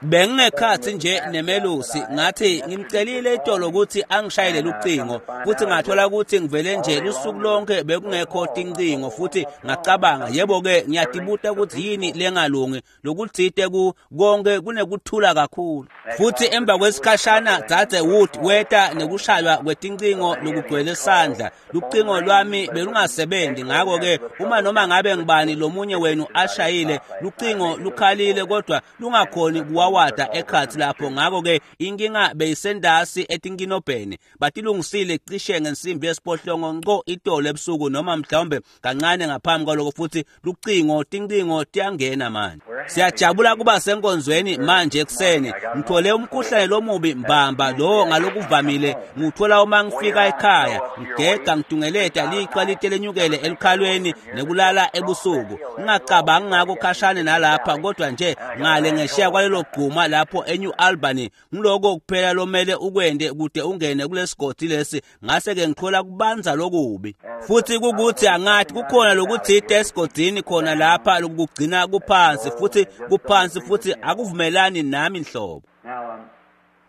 Bengingekhathi nje nemelusi ngathi ngimcelile itolo ukuthi angishayele ucingo futhi ngathola ukuthi ngivele nje lusuku lonke bekungekho tincingo futhi ngacabanga yebo-ke ngiyatibuta ukuthi yini lengalungi lokuthite ku konke kunekuthula kakhulu. Futhi emva kwesikhashana Dzadze Wood weta nekushaywa kwetincingo lokugcwele sandla. Lucingo lwami belungasebenzi, ngakho-ke uma noma ngabe ngibani lomunye wenu ashayile lucingo lukhalile kodwa lungakhoni kuwawada ekhatsi lapho. Ngakho-ke inkinga beyisendasi etinkinobheni. Batilungisile cishe ngensimbi yesiphohlongo nco itolo ebusuku noma mhlawumbe kancane ngaphambi kwaloko, futhi lucingo tincingo tiyangena manje. Siyajabula kuba senkonzweni manje ekuseni. Ngithole umkhuhlane lomubi mbamba lo ngalokuvamile ngiwuthola uma ngifika ekhaya, ngigega ngitungeleta lichwa lite lenyukele elukhalweni nekulala ebusuku. Ngingacabangi ngako khashane nalapha, kodwa nje ngale ngesheya kwalelo gquma lapho eNew Albany, ngiloko kuphela lomele ukwende kude ungene kulesigodi lesi. Ngase-ke ngithola kubanza lokubi futhi kukuthi angathi kukhona lokuthite esigodini khona lapha lokugcina kuphansi futhi kuphansi futhi akuvumelani nami nhlobo.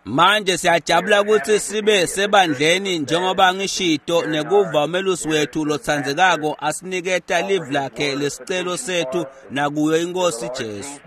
Manje siyajabula ukuthi sibe sebandleni njengoba ngishito nekuva umelusi wethu lotsandzekako asiniketa live lakhe lesicelo sethu nakuyo iNkosi Jesu.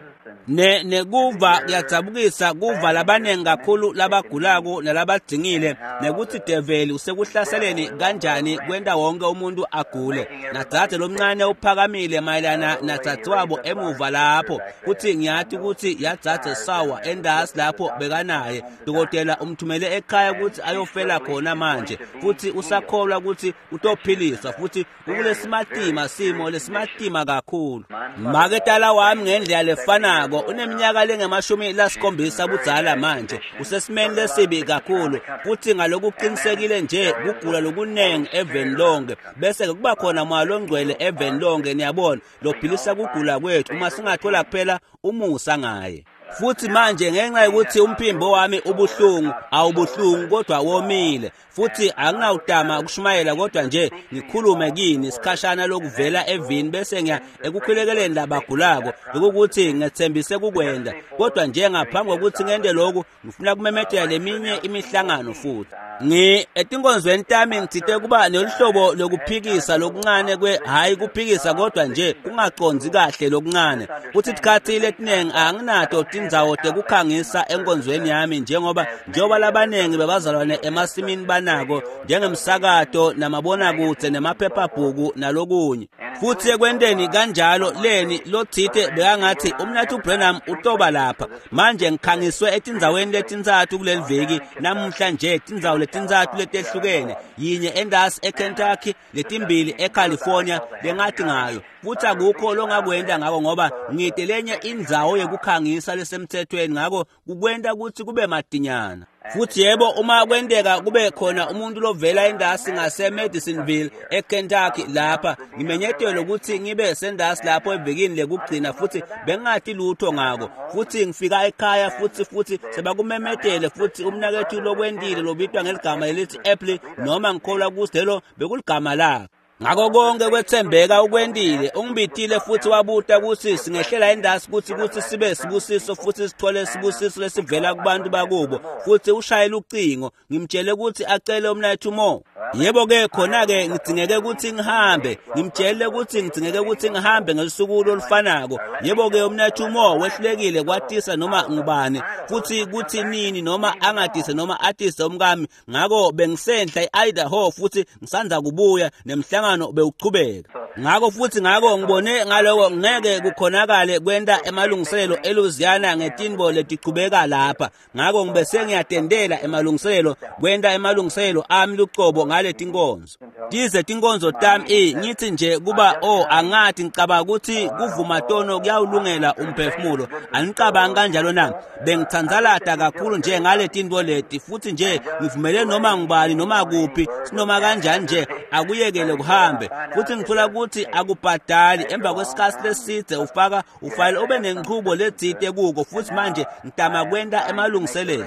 Nekuva kuyadzabukisa kuva labanengi kakhulu labagulako nalabadzingile nekuthi develi usekuhlaseleni kanjani kwenta wonke umuntu agule. Nadzadze lomncane uphakamile mayelana nadzadzewabo emuva lapho, kuthi ngiyati ukuthi yadzadze sawa endasi lapho bekanaye. Dokotela umthumele ekhaya ukuthi ayofela khona manje, futhi usakholwa ukuthi utophiliswa, futhi ukulesimatima simo lesimatima kakhulu. Maketala wami ngendlela lefanako uneminyaka lengama-70 budzala manje, usesimeni lesibi kakhulu futhi ngalokuqinisekile nje kugula lokunengi eveni lonke, bese ke kuba khona moya longcwele eveni lonke, niyabona, lophilisa kugula kwethu uma singathola kuphela umusa ngaye. Futhi manje ngenxa yokuthi umphimbo wami ubuhlungu, awubuhlungu kodwa womile, futhi anginawutama ukushumayela kodwa nje ngikhulume kini isikhashana lokuvela evini bese ngiya ekukhulekeleni labagulako, lokukuthi ngethembise kukwenda. Kodwa nje ngaphambi kokuthi ngente lokhu ngifuna kumemetela leminye imihlangano futhi. Etinkonzweni tami ngithite kuba neluhlobo lokuphikisa lokuncane kwe hhayi kuphikisa kodwa nje kungacondzi kahle lokuncane. Futhi tikhathi letinengi anginato tindzawo tekukhangisa enkonzweni yami njengoba labanengi bebazalwane emasimini banako njengemsakato namabonakudze nemaphephabhuku nalokunye. Futhi ekwenteni kanjalo leni lothite bekangathi umnathu Branham utoba lapha. Manje ngikhangiswe etindzaweni letintsatfu kuleli viki namuhla nje, tindzawo letintsatfu letehlukene, yinye endasi eKentucky, letimbili eCalifornia lengathi ngayo. Futhi akukho longakwenta ngako ngoba ngide lenye indzawo yekukhangisa lesemthethweni, ngako kukwenta ukuthi kube madinyana. Futhi yebo, uma kwenteka kube khona umuntu lovela endasi ngase Madisonville eKentucky lapha, ngimenyetelwe ukuthi ngibe sendasi lapho evikini lekugcina futhi bengathi lutho ngako. Futhi ngifika ekhaya futhi sebakumemetele futhi umnakethu lokwendile lobitwa ngeligama lelithi Apple, noma ngikholwa ukuthi lelo bekuligama lakhe. Ngako konke kwethembeka ukwendile, ungibitile futhi wabuta ukuthi singehlela endasi kuthi sibe sibusiso futhi sithole sibusiso lesivela kubantu bakubo. Futhi ushayela ucingo, ngimtshele ukuthi acele umnakethu Mo. Yebo-ke khona-ke ngidingeke ukuthi ngihambe, ngimtshele ukuthi ngidingeke ukuthi ngihambe ngelusuku lolufanako. Yebo-ke umnakethu Mo wehlulekile kwatisa noma ngubani futhi kuthi nini noma angatise noma atise umkami. Ngako bengisenhla e-Idaho futhi ngisandza kubuya nemhlangano bewuchubeka. Ngako futhi ngako ngibone ngaloko ngeke kukhonakale kwenta emalungiselelo eLouisiana ngetinbo letichubeka lapha. Ngako ngibese ngiyatendela emalungiselelo kwenta emalungiselelo ami lucobo ngale tinkonzo. Tize tinkonzo tami ngithi nje kuba angathi ngicabanga ukuthi kuvuma tono kuyawulungela umphefumulo. Anicabangi kanjalo na? Bengithandzalata kakhulu nje ngale tinto leti futhi nje ngivumele noma ngubani noma kuphi sinoma kanjani nje akuyekele kuhambe. Futhi ngithola ukuthi akubhadali emva kwesikhathi lesidze ufaka ufayile ube nenchubo letsite kuko, futhi manje ngitama kwenta emalungiselelo.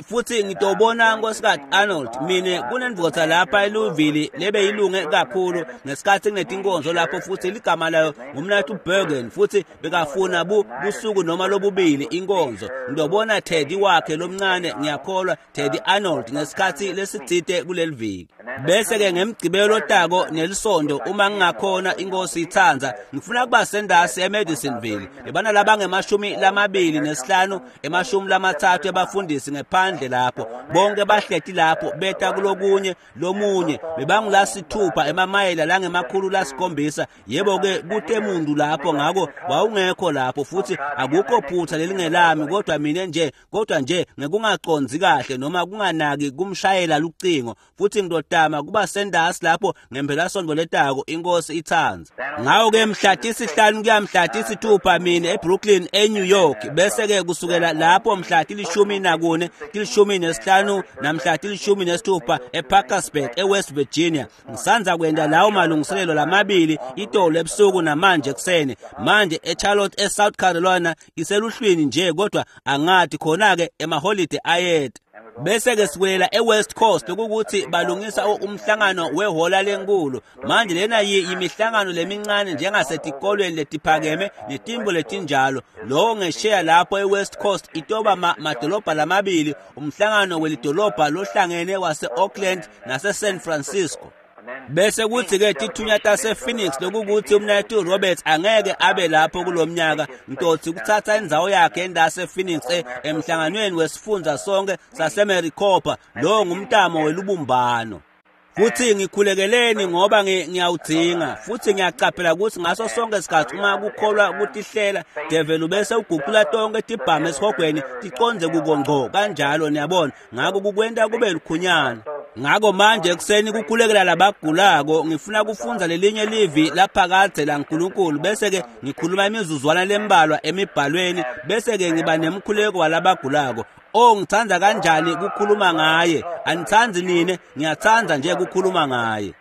Futhi ngitobona Nkosikazi Arnold mina Kunendvodza lapha eLouisville lebeyilunge kakhulu ngesikhatsi kunetinkonzo lapho, futhi ligama layo ngumnaketfu Bergen, futhi bekafuna busuku noma lobubili inkonzo. Ngiyobona Teddy wakhe lomncane, ngiyakholwa Teddy Arnold, ngesikhatsi lesitsite kuleliviki. Bese-ke ngemgcibelo lotako nelisondo, uma ngingakhona, inkosi itsandza, ngifuna kuba sendasi eMadisonville. Bebana labange-25, 30 ebafundisi ngephandle lapho, bonke bahleti lapho beta kulokunye lomunye bebangulasithupha emamayela lange-700. Yebo-ke, kute muntu lapho, ngako wawungekho lapho, futhi akukho phutha lelingelami, kodwa mina nje, kodwa nje ngekungacondzi kahle noma kunganaki kumshayela lucingo, futhi ngidodama kuba sendasi lapho ngempelasonto letako, inkosi itsandza. Ngawo-ke mhla 5 kuya mhla 6 mina eBrooklyn, eNew York, bese-ke kusukela lapho mhla 14, 15 namhla 16 eParkersburg, eWest Virginia. Ngisanza kwenda lawo malungiselelo lamabili itolo ebusuku namanje ekuseni. Manje eCharlotte, eSouth Carolina, iseluhlwini nje, kodwa angathi khona-ke emaholide ayeta. Bese-ke siwela eWest Coast, lokukuthi balungisa umhlangano wehola lenkulu. Manje lena yimihlangano lemincane njengasetikolweni letiphakeme netimbo letinjalo. Lowo ngesheya lapho eWest Coast itoba madolobha lamabili, umhlangano welidolobha lohlangene wase-Oakland nase-San Francisco. Bese kuthi-ke tithunya tase-Phoenix, lokukuthi umnaketfu Roberts angeke abe lapho kulomnyaka, ngitotsi kuthatha indzawo yakhe endase-Phoenix emhlanganweni wesifundza sonke saseMaricopa. Lowo ngumtamo welubumbano. Futhi ngikhulekeleni ngoba ngiyawudzinga, futhi ngiyacaphela ukuthi ngaso sonke isikhathi uma kukholwa kutihlela, devil ubese uguqula tonke tibhamu esihogweni ticonze kuko ngco kanjalo, niyabona. Ngako kukwenta kube lukhunyana. Ngako manje ekuseni kukhulekela labagulako, ngifuna kufundza lelinye livi laphakadze laNkulunkulu, bese-ke ngikhuluma imizuzwana lembalwa emibhalweni, bese-ke ngiba nemkhuleko walabagulako. Oh, ngithanda kanjani kukhuluma ngaye. Anithandi nine? Ngiyathanda nje kukhuluma ngaye.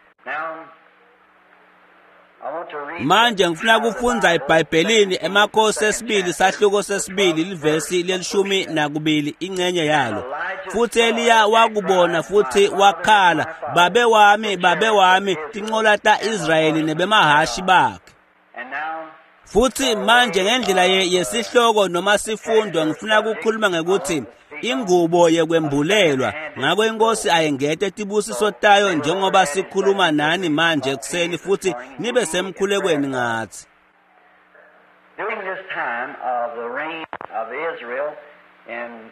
Manje ngifuna kufundza eBhayibhelini emakhosi esibili, sahluko sesibili, livesi le-12, ingcenye yalo. Futhi Eliya wakubona futhi wakhala, "Babe wami, babe wami, tincola ta-Israyeli nebemahashi bakhe." Futhi manje ngendlela yesihloko noma sifundo, ngifuna ukukhuluma ngekuthi ingubo yekwembulelwa. Ngako inkosi ayengete tibusiso tayo njengoba sikhuluma nani manje ekuseni, futhi nibe semkhulekweni ngathi. During this time of the reign of Israel in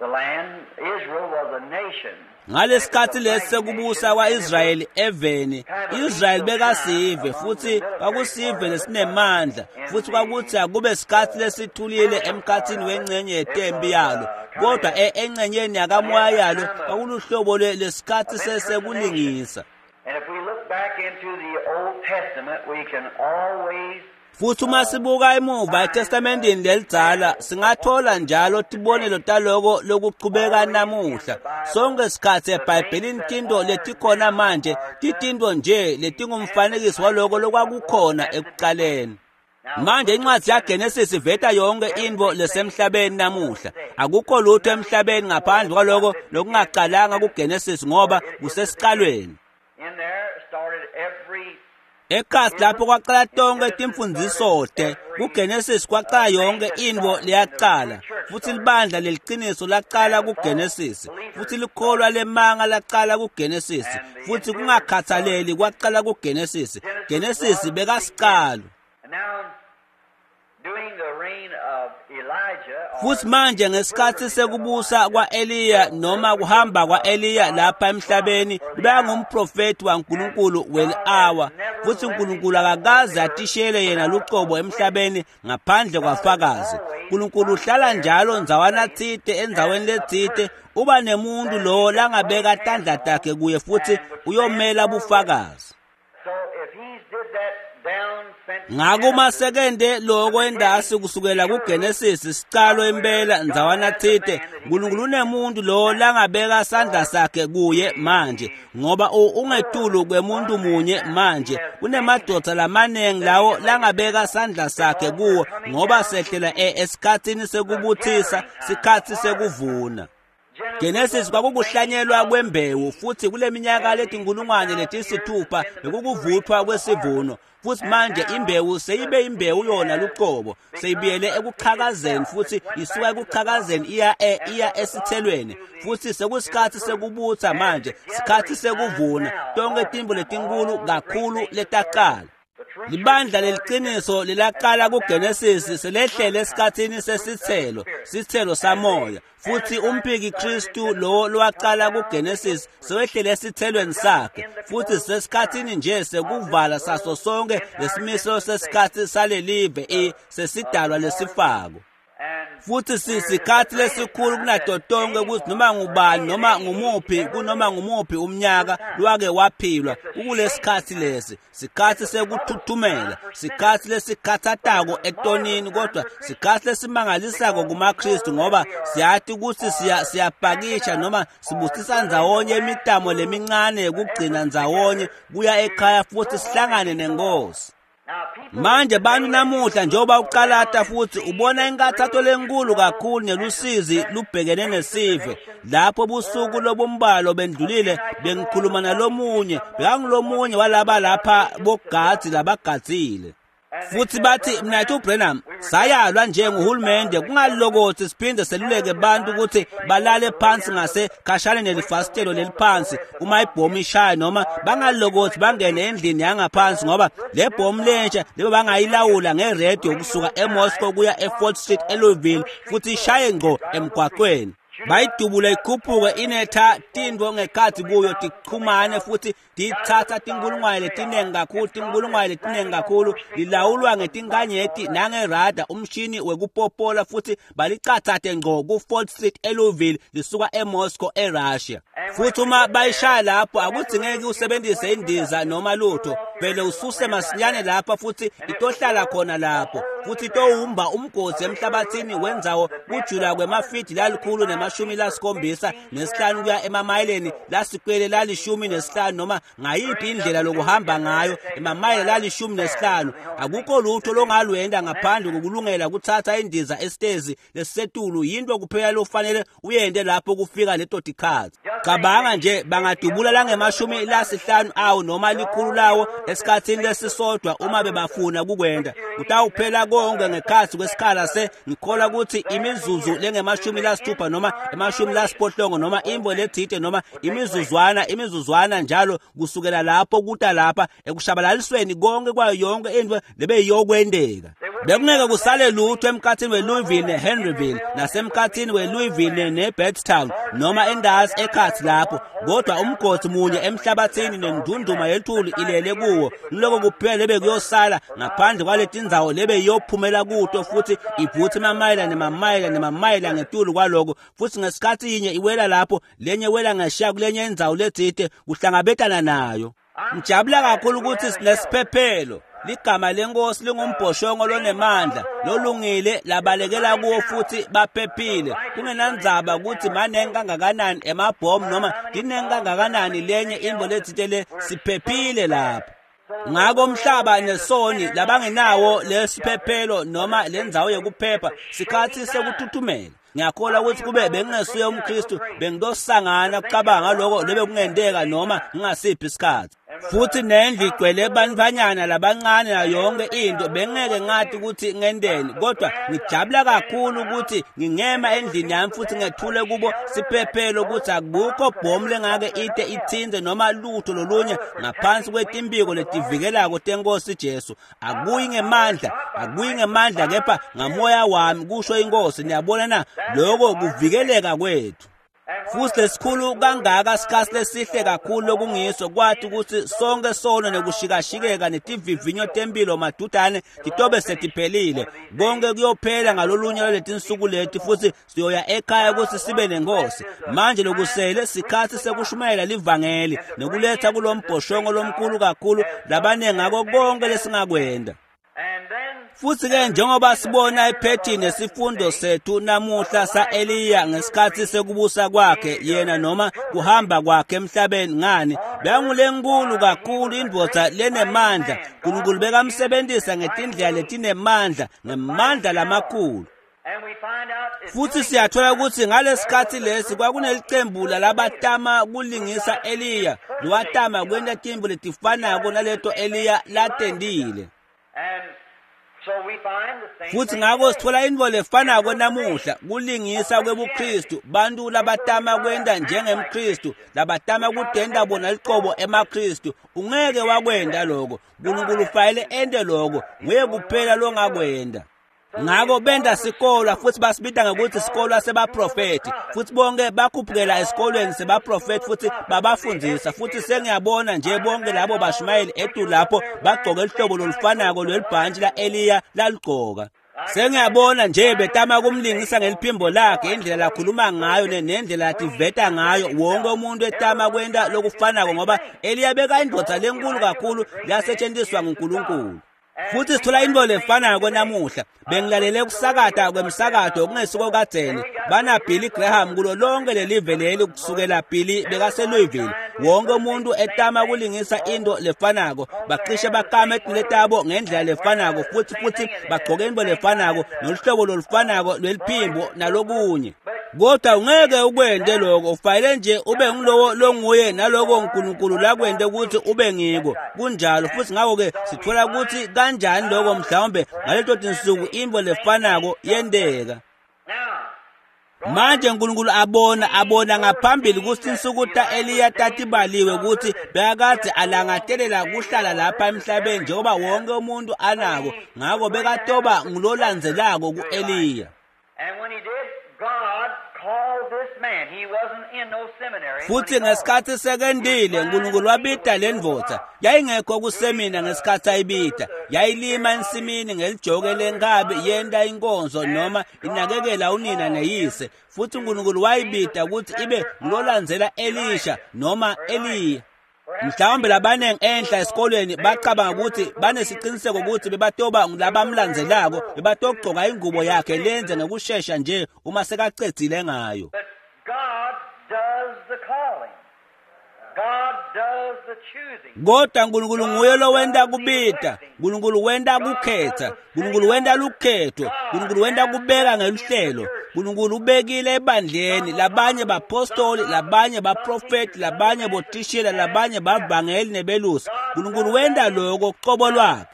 the land, Israel was a nation. Ngalesikhathi lesi sekubusa kwa-Israyeli eveni, Israyeli bekasive, futhi kwakusive lesinemandla, futhi kwakuthi akube sikhathi lesithulile emkhathini wengcenye yetempi yalo, kodwa engcenyeni yakamoya yalo kwakuluhlobo lesikhathi sekulingisa. And if we look back into the Old Testament, we can always Futhi uma sibuka emuva eTestamenteni lelidzala, singathola njalo tibonelo taloko lokuchubeka namuhla. Sonke sikhatsi eBhayibhelini tinto letikhona manje titinto nje letingumfanekiso waloko lokwakukhona ekucaleni. Manje incwadi yaGenesis iveta yonke intfo lesemhlabeni namuhla. Akukho lutho emhlabeni ngaphandle kwaloko lokungacalanga kuGenesis, ngoba kusesicalweni. In there started every Ekasi lapho kwaqala tonke timfundziso te kuGenesis, kwaqala yonke intfo leyaqala, futhi libandla leliciniso laqala kuGenesis, futhi likholwa lemanga laqala kuGenesis, futhi kungakhathaleli kwaqala kuGenesis. Genesis bekasicalo. And now, during the reign of Elijah, or Futhi manje ngesikhathi sekubusa kwa-Eliya noma kuhamba kwa-Eliya lapha emhlabeni, bekangumprofeti waNkulunkulu weli-awa, futhi uNkulunkulu akakaze atishele yena lucobo emhlabeni ngaphandle kwafakazi. uNkulunkulu uhlala njalo ndzawana tsite endzaweni letsite, uba nemuntu lowo langabeka tandla takhe kuye futhi uyomela bufakazi. So if he's did that down since Ngako uma sekende loko endasi kusukela kuGenesis sicalo impela ndzawana tsite, uNkulunkulu unemuntu lo langabeka sandla sakhe kuye manje, ngoba ungetulu kwemuntu munye manje. Kunemadvodza lamaningi lawo langabeka sandla sakhe kuwo, ngoba sehlela esikhatsini sekubuthisa, sikhatsi sekuvuna. Genesis kwakukuhlanyelwa kwembewu, futhi kule minyaka letinkulungwane letisithupha bekukuvuthwa kwesivuno. Futhi manje imbewu seyibe imbewu yona luqobo, seyibuyele ekuchakazeni, futhi isuka ekuchakazeni iya esithelweni. Futhi sekusikhathi sekubutha manje, sikhathi sekuvuna tonke tintfo letinkulu kakhulu letaqala. Libandla leliqiniso lelaqala kuGenesis selehlele esikhathini sesithelo, sithelo samoya. Futhi umphiki Kristu lo lowaqala kuGenesis sewehlele esithelweni sakhe, futhi sesikhathini nje sekuvala saso sonke lesimiso sesikhathi salelive sesidalwa lesifako. Futhi sisikhathi lesikhulu kunato tonke ukuthi noma ngubani noma ngumuphi kunoma ngumuphi umnyaka lwake waphilwa kukulesikhathi lesi, sikhathi sekuthuthumela, sikhathi lesikhathatako etonini, kodwa sikhathi lesimangalisako kumaKristu, ngoba siyathi ukuthi siyapakisha noma sibusisa ndzawonye imitamo lemincane yekugcina ndzawonye kuya ekhaya futhi sihlangane nenkosi. Manje bantu namuhla njengoba uqalata futhi ubona inkathatho lenkulu kakhulu nelusizi lubhekene nesive. Lapho busuku lobumbalo bendlulile bengikhuluma nalomunye, bekangulomunye walaba lapha bogadzi labagadzile. Futhi bathi mnayethu Branham, sayalwa nje nguhulumende kungalokothi siphinde seluleke bantu ukuthi balale phansi ngase khashane nelifasitelo leliphansi uma ibhomu ishaya, noma bangalokothi bangene endlini yangaphansi, ngoba le bhomu lentsha lebe bangayilawula ngeredio kusuka eMoscow kuya eFort Street eLouisville, futhi ishaye ngqo emgwaqweni. Bayidubula ikhuphuke inetha tintfo ngekhathi kuyo tichumane, futhi titsatsa tinkulungwane letinengi kakhulu, tinkulungwane letinengi kakhulu, lilawulwa ngetinkanyeti nangerada umshini wekupopola, futhi balicatsate ngqo ku-Fort Street eLouisville lisuka eMoscow eRussia. Futhi uma bayishaya lapho akudzingeki usebenzise indiza noma lutho, vele ususe masinyane lapha futhi itohlala khona lapho, futhi itowumba umgodi emhlabathini wendzawo kujula kwemafidi lalikhulu ne-75 kuya emamayeleni lasikwele la-15, noma ngayiphi indlela lokuhamba ngayo emamayela la-15. Akukho lutho longalwenda ngaphandle kokulungela kuthatha indiza esitezi lesisetulu, yinto kuphela lofanele uyende lapho kufika leto tikhathi. Cabanga nje bangadubula langema-50 awo noma 100 lawo esikhathini lesisodwa uma bebafuna kukwenda. Kutawuphela konke ngekhathi kwesikhala se ngikholwa ukuthi imizuzu lengema-60 noma 80 noma imbo lethite noma imizuzwana njalo kusukela lapho kuta lapha ekushabalalisweni konke kwayo yonke into lebeyiyokwendeka. Bekungeke kusale lutho emkhathini weLouisville neHenryville nasemkhathini weLouisville neBedtown noma endazi ekhathi lapho, kodwa umgodi munye emhlabathini nendunduma yethuli ilele kuwo, loko kuphela lebekuyosala ngaphandle kwaletindzawo lebeyiyophumela kuto, futhi ivuthe emamayela nemamayela nemamayela ngetulu kwaloko. Futhi ngesikhathi yinye iwela lapho, lenye iwela ngeshiya kulenye indzawo letsite kuhlangabetana nayo. Ngijabula kakhulu ukuthi sinesiphephelo. Ligama lenkosi lingumbhoshongo lonemandla lolungile labalekela kuwo futhi baphephile, kungenandzaba ukuthi manengi kangakanani emabhomu noma tinengi kangakanani lenye intfo letsite le, siphephile lapho. Ngako umhlaba nesoni labangenawo lesiphephelo noma lendzawo yekuphepha, sikhathi sekuthuthumela. Ngiyakholwa ukuthi kube bengingesuye umKristu bengidosangana kucabanga ngaloko lebe kungendeka noma ngingasiphi isikhathi. Futhi nendlu igcwele bantfanyana labancane nayo yonke into, bengeke ngathi ukuthi ngendeni, kodwa ngijabula kakhulu ukuthi ngingema endlini yami futhi ngethule kubo siphephelo ukuthi akukho bhomu lengake ite ithinte noma lutho lolunye ngaphansi kwetimbiko letivikelako tenkosi Jesu. Akuyi ngemandla, akuyi ngemandla kepha ngamoya wami, kusho inkosi. Niyabona na, lokho kuvikeleka kwethu. Futhi lesikhulu kangaka sikhathi lesihle kakhulu lokungiso, kwathi ukuthi sonke sono nekushikashikeka netivivinyo tempilo madudane titobe setiphelile. Konke kuyophela ngalolunye lwetinsuku leti, futhi siyoya ekhaya ukuthi sibe nenkosi. Manje lokusele sikhathi sekushumayela livangeli nekuletha kulombhoshongo lomkhulu kakhulu labanengi ngako konke lesingakwenda. Futhi ke njengoba sibona ephethini nesifundo sethu namuhla sa-Eliya ngesikhathi sekubusa kwakhe yena noma kuhamba kwakhe emhlabeni, ngani bekangulenkulu kakhulu indvodza lenemandla. Nkulunkulu bekamsebenzisa ngetindlela letinemandla, ngemandla lamakhulu. Futhi siyathola ukuthi ngalesikhathi lesi kwakunelicembu lalabatama kulingisa Eliya, lowatama kwenta tintfo letifanako naleto Eliya latentile. Futhi ngako sithola intfo lefanako namuhla, kulingisa kwebuKristu, bantu labatama kwenta njengemKristu, labatama kutenta bona liqobo emaKristu. Ungeke wakwenta lokho. Nkulunkulu ufanele ente lokho, nguye kuphela longakwenta. Ngako benta sikolwa futhi basibita ngokuthi sikolwa sebaprofethi, futhi bonke bakhuphukela esikolweni sebaprofethi futhi babafundzisa. Futhi sengiyabona nje bonke labo bashumayeli etulu lapho bagcoke luhlobo lolufanako lwelibhantshi la-Eliya laligcoka. Sengiyabona nje betama kumlingisa ngeliphimbo lakhe, indlela lakhuluma ngayo nendlela lativeta ngayo. Wonke umuntu etama kwenta lokufanako, ngoba Eliya beka indvodza lenkulu kakhulu lasetshenziswa nguNkulunkulu. Futhi sithola into lefanako namuhla. Bengilalele kusakata kwemsakato kungesiko kadzeni. Bana Billy Graham kulo lonke lelive leli, kusukela Billy bekaseLouisville. Wonke umuntu etama kulingisa into lefanako, bacishe bakame etinwele tabo ngendlela lefanako, futhi bagcoke into lefanako noluhlobo lolufanako lweliphimbo nalokunye. Kodwa ungeke ukwente lokho, ufanele nje ube ngulowo longuye naloko uNkulunkulu lakwente ukuthi ube ngiko. Kunjalo. Futhi ngakho-ke sithola ukuthi kanjani lokho mhlawumbe ngaleto tinsuku intfo lefanako yenteka. Manje uNkulunkulu abona ngaphambili ukuthi insuku ta-Eliya tatibaliwe, ukuthi bekakade alangatelela kuhlala lapha emhlabeni njengoba wonke umuntu anako. Ngako bekatoba ngulolandzelako ku-Eliya. Futhi ngesikhathi sekendile, uNkulunkulu wabita le ndvodza. Yayingekho kusemina ngesikhathi ayibita. Yayilima ensimini ngelijoke lenkabi, yenta inkonzo noma inakekela unina neyise. Futhi uNkulunkulu wayibita ukuthi ibe ngulolandzela Elisha noma Eliya. Mhlawumbe labanengi enhla esikolweni bacabanga ukuthi banesiqiniseko ukuthi bebatoba ngulabamlandzelako, bebatogcoka ingubo yakhe lenze ngekushesha nje uma sekacedzile ngayo. Kodwa uNkulunkulu nguye lowenta kubita, uNkulunkulu wenta kukhetha, uNkulunkulu wenta lukhetho, uNkulunkulu wenta kubeka ngeluhlelo. uNkulunkulu ubekile ebandleni labanye bapostoli, labanye baprofeti, labanye botishela, labanye bavangeli nebelusi. uNkulunkulu wenta lokho qobo lwakhe.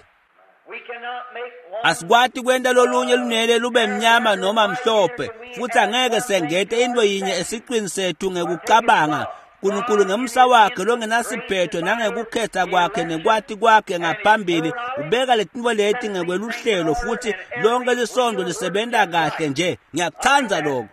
Asikwati kwenta lolunye lunele lube mnyama noma mhlophe, futhi angeke sengete into yinye esiqwini sethu ngekucabanga. uNkulunkulu ngemsa wakhe longenasiphetho nangekukhetha kwakhe nekwati kwakhe ngaphambili ubeka letintfo leti ngekweluhlelo, futhi lonke lisondo lisebenta kahle nje. Ngiyakutsandza lokho.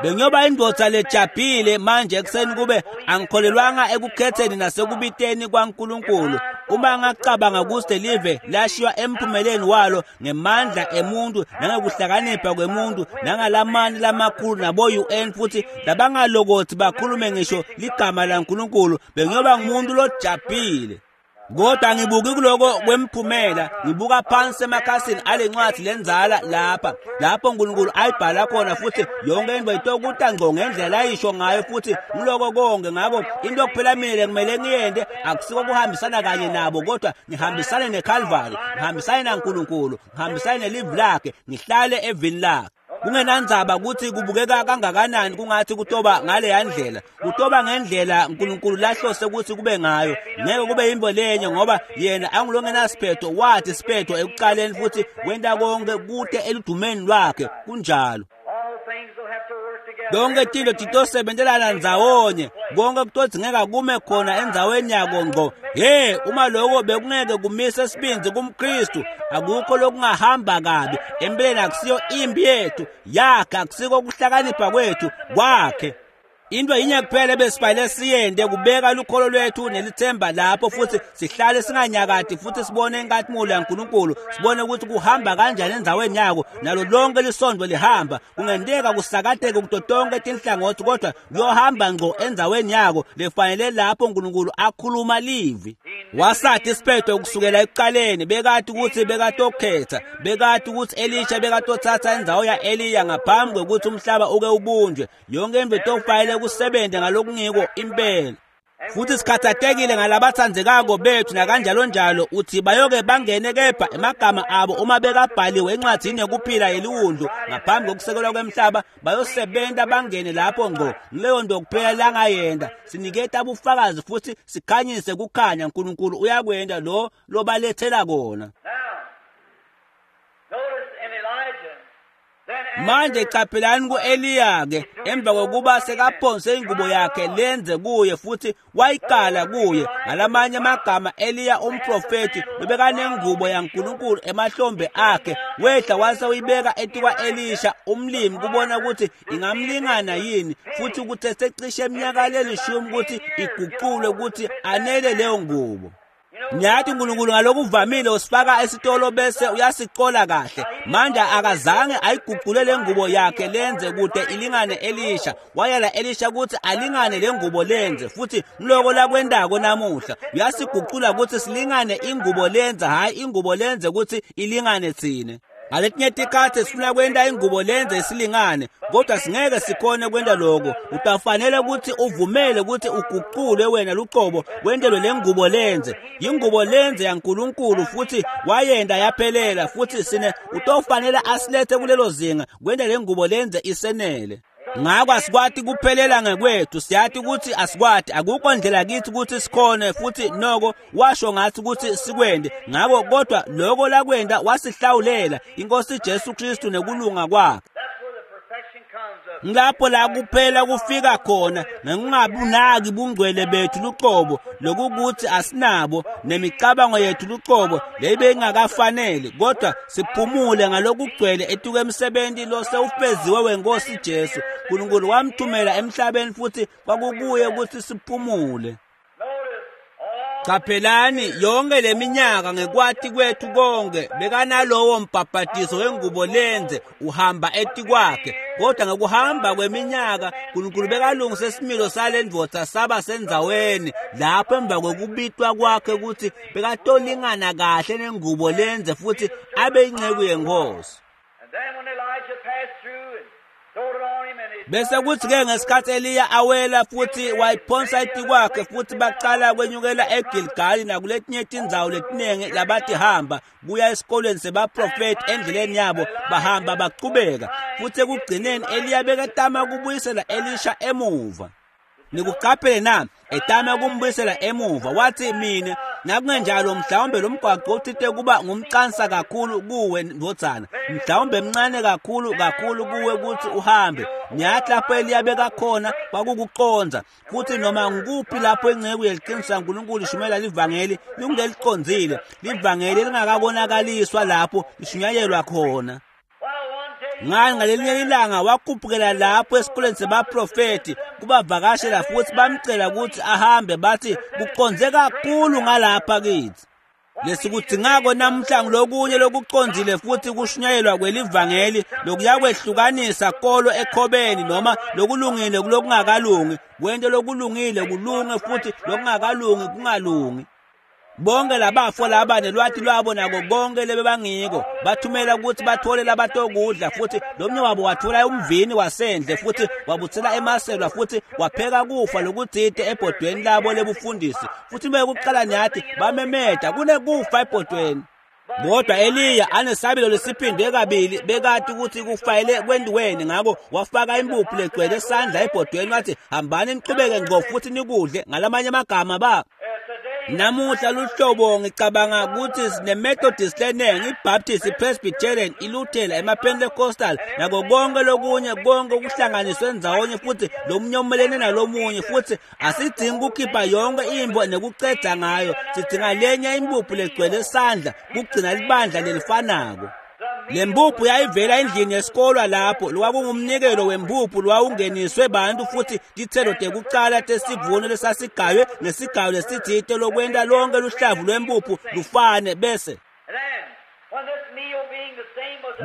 Bengiyoba indvodza lejabhile manje ekuseni kube angikholelwanga ekukhetheni nasekubiteni kwaNkulunkulu. Uma ngacabanga ukuthi live lashiywa emphumeleni walo ngemandla emuntu nangekuhlakanipha kwemuntu nangalamani lamakhulu nabo-UN, futhi labangalokothi bakhulume ngisho ligama laNkulunkulu, bengiyoba ngumuntu lojabhile. Kodwa ngibuki kuloko kwemphumela, ngibuka phansi emakhasini ale ncwadi lenzala lapho uNkulunkulu ayibhala khona, futhi yonke into itokuta ngqo ngendlela ayisho ngayo, futhi ngiloko konke. Ngakho into kuphela mina kumele ngiyente akusiko kuhambisana kanye nabo, kodwa ngihambisane neCalvary, ngihambisane naNkulunkulu, ngihambisane nelivi lakhe, ngihlale evini lakhe. Kungenandzaba ukuthi kubukeka kangakanani kungathi kutoba ngaleya ndlela, kutoba ngendlela uNkulunkulu lahlose ukuthi kube ngayo. Ngeke kube yimbo lenye, ngoba yena angulongenasiphetho, wathi siphetho ekuqaleni futhi wenta konke kute eludumeni lwakhe. Kunjalo. Lonke tintfo titosebentelana ndzawonye, konke kutodzingeka kume khona endzaweni yako ngqo. Hey, uma lokho bekungeke kumise isibindzi kumKristu, akukho lokungahamba kabi. Empeleni akusiyo impi yethu, yakhe, akusiko kuhlakanipha kwethu, kwakhe. Into yinye kuphela ebesifanele siyente kubeka lukholo lwethu nelithemba lapho, futhi sihlale singanyakati, futhi sibone inkazimulo yaNkulunkulu, sibone ukuthi kuhamba kanjani endzaweni yako, nalo lonke lisondo lihamba. Kungenteka kusakateke kuto tonke tinhlangothi, kodwa kuyohamba ngqo endzaweni yako lefanele lapho uNkulunkulu akhuluma livi. Wasathi isiphetho kusukela ekuqaleni, bekati ukuthi bekatokhetha, bekati ukuthi Elisha bekatothatha indzawo ya-Eliya ngaphambi kwekuthi umhlaba uke ubunjwe. Yonke into itofanele kusebenze ngalokungiko impela. Futhi sikhathatekile ngalabatsandzekako bethu nakanjalonjalo, uthi bayoke bangene kepha emagama abo uma bekabhaliwe encwadzini yokuphila yeliwundlu ngaphambi kokusekelwa kwemhlaba, bayosebenta bangene lapho ngqo. Ngileyo nto kuphela langayenda. Siniketa bufakazi futhi sikhanyise kukhanya. uNkulunkulu uyakwenda lo lobalethela kona. Manje caphelani ku-Eliya-ke, emva kokuba sekaphonse ingubo yakhe lenze kuye futhi wayikala kuye. Ngalamanye amagama, Eliya umprofethi bebekanengubo yaNkulunkulu emahlombe akhe, wehla wase uyibeka etikwa-Elisha umlimi kubona ukuthi ingamlingana yini, futhi ukuthi secishe iminyaka lelishumi ukuthi iguqulwe ukuthi anele leyo ngubo. Ngiyathi uNkulunkulu ngalokuvamile usifaka esitolo bese uyasicola kahle. Manje akazange ayiguqule le ngubo yakhe lenze kude ilingane Elisha. Wayala Elisha ukuthi alingane le ngubo lenze, futhi ngiloko lakwendako namuhla. Uyasiguqula ukuthi silingane ingubo lenze, hayi ingubo lenze ukuthi ilingane thina. Ngaletinye tikhatsi sifuna kwenta ingubo lenze isilingane, kodwa singeke sikhone kwenta lokho. Utafanele ukuthi uvumele ukuthi uguqulwe wena luqobo wentelwe le ngubo lenze. Ingubo lenze yaNkulunkulu futhi wayenda yaphelela, futhi sine utofanele asilethe kulelo zinga kwenta le ngubo lenze isenele. Ngakho asikwati kuphelela ngekwethu, siyathi ukuthi asikwati, akukho ndlela kithi ukuthi sikhone, futhi noko washo ngathi ukuthi sikwende. Ngakho kodwa lokho lakwenda wasihlawulela inkosi Jesu Kristu nekulunga kwakhe. Ngilapho la kuphela kufika khona ngokungabunaki bungcwele bethu luqobo, lokukuthi asinabo nemicabango yethu luqobo leyibe ingakafanele, kodwa siphumule ngalokugcwele etuke emsebenzi lo sewufeziwe wenkosi Jesu. uNkulunkulu wamthumela emhlabeni futhi kwakukuye ukuthi siphumule. Qaphelani yonke leminyaka ngekwati kwethu konke bekanalowo mbhabhadiso wengubo lenze uhamba etikwakhe, kodwa ngekuhamba kweminyaka uNkulunkulu bekalungisa isimilo sale ndvodza saba sendzaweni lapho emva kwekubitwa kwakhe ukuthi bekatolingana kahle nengubo lenze futhi abe inceku yenkosi. Bese kuthi-ke ngesikhathi Eliya awela futhi wayiphonsa etikwakhe, futhi baqala kwenyukela eGilgali nakuletinye tindzawo letiningi labathi hamba kuya esikolweni sebaprofethi endleleni yabo, bahamba baqhubeka. Futhi ekugcineni Eliya beketama kubuyisela Elisha emuva. Nikuqaphele na? Etama kumbuyisela emuva. Wathi mina nakungenjalo mhlawumbe lo mgwaqo uthite kuba ngumqansa kakhulu kuwe ndvodzana, mhlawumbe mncane kakhulu kakhulu kuwe ukuthi uhambe. Ngiyathi lapho Eliya bekakhona kwakukuqonza, futhi noma ngikuphi lapho inceku yeliqiniso laNkulunkulu ishumela livangeli lingeliqonzile, livangeli lingakabonakaliswa lapho lishunyayelwa khona. Ngani ngalelinye ilanga wakhuphukela lapho esikoleni sebaprofethi kubavakashela futhi bamcela ukuthi ahambe, bathi kuqonze kakhulu ngalapha kithi. Lesikudzingako namuhla ngilokunye lokuqonzile futhi kushunyayelwa kwelivangeli lokuyakwehlukanisa kolo ekhobeni noma lokulungile kulokungakalungi, kwento lokulungile kulunge futhi lokungakalungi kungalungi. Bonke labafo laba nelwati lwabo nako konke lebebangiko bathumela ukuthi bathole labatokudla, futhi lomnye wabo wathola umvini wasendle futhi wabuthela emaselwa futhi wapheka kufa lokutsite ebhodweni labo lebufundisi. Futhi bekuqala nyathi bamemeda kunekufa ebhodweni. Kodwa Eliya anesabelo lesiphindwe kabili bekati ukuthi kufayele kwendiweni, ngakho wafaka impuphu legcwele esandla ebhodweni wathi hambani niqhubeke ngqo futhi nikudle. Ngalamanye amagama ba namuhla luhlobo ngicabanga ukuthi sine-Methodist leningi, i-Baptist, i-Presbyterian, iLuthela, ema-Pentecostal nako konke lokunye, konke kuhlanganiswe ndzawonye futhi lomunye umelene nalomunye, futhi asidingi ukukhipha yonke imbo nekuceda ngayo. Sidinga lenye impuphu legcwele esandla kugcina libandla lelifanako. Le mpuphu yayivela endlini yesikolwa lapho lwakungumnikelo wempuphu lwawungeniswe bantu futhi tithelo tekucala tesivuno lesasigaywe ngesigayo lesitsite lokwenta lonke luhlavu lwempuphu lufane. Bese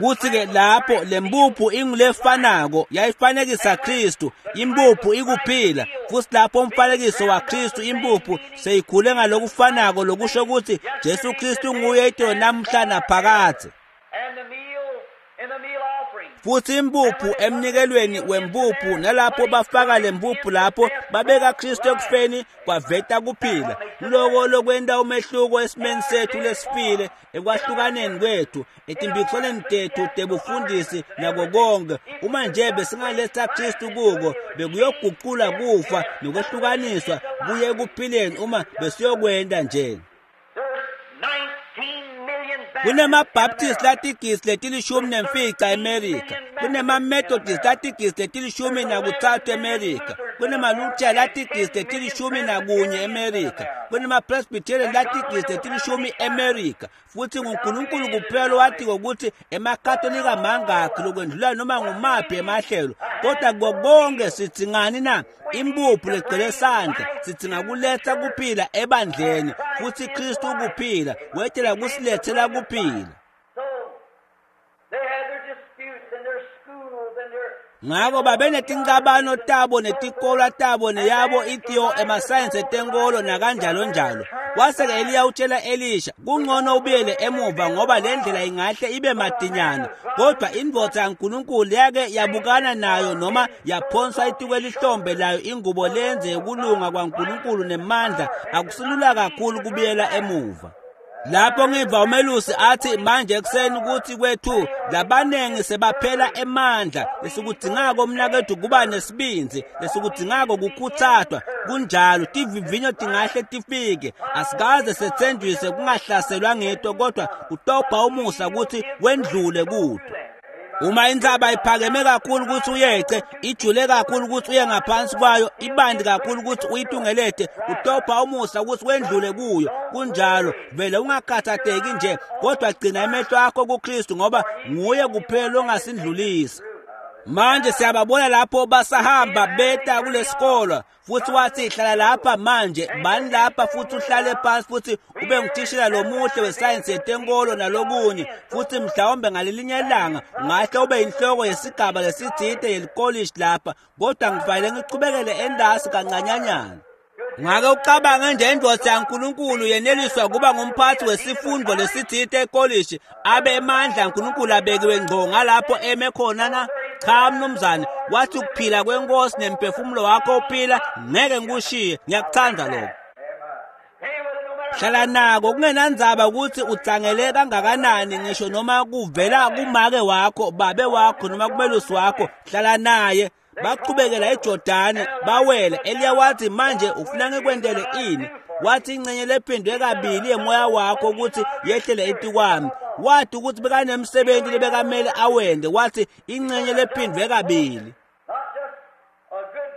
kuthi-ke lapho le mpuphu ingulefanako yayifanekisa Kristu, impuphu ikuphila, futhi lapho umfanekiso waKristu impuphu seyikhule ngalokufanako, lokusho ukuthi Jesu Kristu nguye itolo namuhla naphakadze. Futhi impuphu emnikelweni wempuphu, nalapho bafaka lempuphu lapho babeka Kristu ekufeni kwaveta kuphila. Loko lokwenta umehluko esimeni sethu lesifile, ekwahlukaneni kwethu, etimpikiswaneni tethu tebufundisi nako konke. Uma nje besingaletha Kristu kuko, bekuyoguqula kufa nokwehlukaniswa kuye ekuphileni uma besiyokwenta nje. KunemaBaptist latigisi leti-15 eMerika, kunema-Methodist latigisi leti-13 eMerika, kunema-Lutheran latigisi leti-11 eMerika, kunema-Presbyterian latigisi leti-10 eMerika. Futhi nguNkulunkulu kuphela owatiko ukuthi emaKatolika mangakhi lokwendlula noma ngumaphi emahlelo. Kodwa kuko konke sidzingani na? Impuphu legcwele sandla. Sidzinga kuletha kuphila ebandleni, futhi Kristu ukuphila wetela kusilethela kuphila. Ngako babenetincabano tabo netikolwa tabo neyabo itiyo emasayensi etenkolo nakanjalo njalo. Wase-ke Eliya utshela Elisha, kungcono ubuyele emuva ngoba le ndlela ingahle ibe madinyana. Kodwa indvodza yaNkulunkulu yake yabukana nayo noma yaphonswa etikwelihlombe layo ingubo lenze ukulunga kwaNkulunkulu nemandla, akusilula kakhulu kubuyela emuva. Lapho ngiva umelusi athi manje ekuseni ukuthi kwethu labanengi sebaphela emandla, lesikudzingako mnakethu kuba nesibindzi, lesikudzingako kukhutsatwa. Kunjalo, tivivinyo tingahle tifike, asikaze setsenjiswe kungahlaselwa ngito, kodwa utopha umusa ukuthi wendlule kuto. Uma intsaba iphakeme kakhulu ukuthi uyece, ijule kakhulu ukuthi uye ngaphansi kwayo, ibandi kakhulu ukuthi uyitungelete, utopha umusa ukuthi wendlule kuyo. Kunjalo, vele ungakhathatheki nje, kodwa gcina emehlo akho kuKristu ngoba nguye kuphela ongasindlulisa. Manje siyababona lapho basahamba beta kulesikolo, futhi wathi hlala lapha manje, bani lapha futhi uhlale phansi futhi ube ngutishela lomuhle wesayensi yetenkolo nalokunye, futhi mhlawumbe ngalelinye ilanga ungahle ube inhloko yesigaba lesitsite yelikolishi lapha, kodwa ngifanele ngichubekele endasi kancanyanyana. Ngake ucabange nje indvodza yaNkulunkulu yeneliswa kuba ngumphathi wesifundo lesitsite ekolishi, abe emandla aNkulunkulu abekiwe ngco ngalapho eme khona na? Cha mnumzane, wathi ukuphila kwenkosi nemphefumulo wakho uphila, ngeke ngikushiye. Ngiyakuthanda lokho. Hlala nako kungenandzaba ukuthi utsangele kangakanani, ngisho noma kuvela kumake wakho, babe wakho noma kumelusi wakho, hlala naye. Bachubekela eJordani bawela. Eliya wathi manje ufuna ngikwentele ini? Wathi ingcenye lephindwe kabili yemoya wakho ukuthi yehlele etikwami. Wathi ukuthi bekanemsebenzi lebekamele awende, wathi ingcenye lephindwe kabili.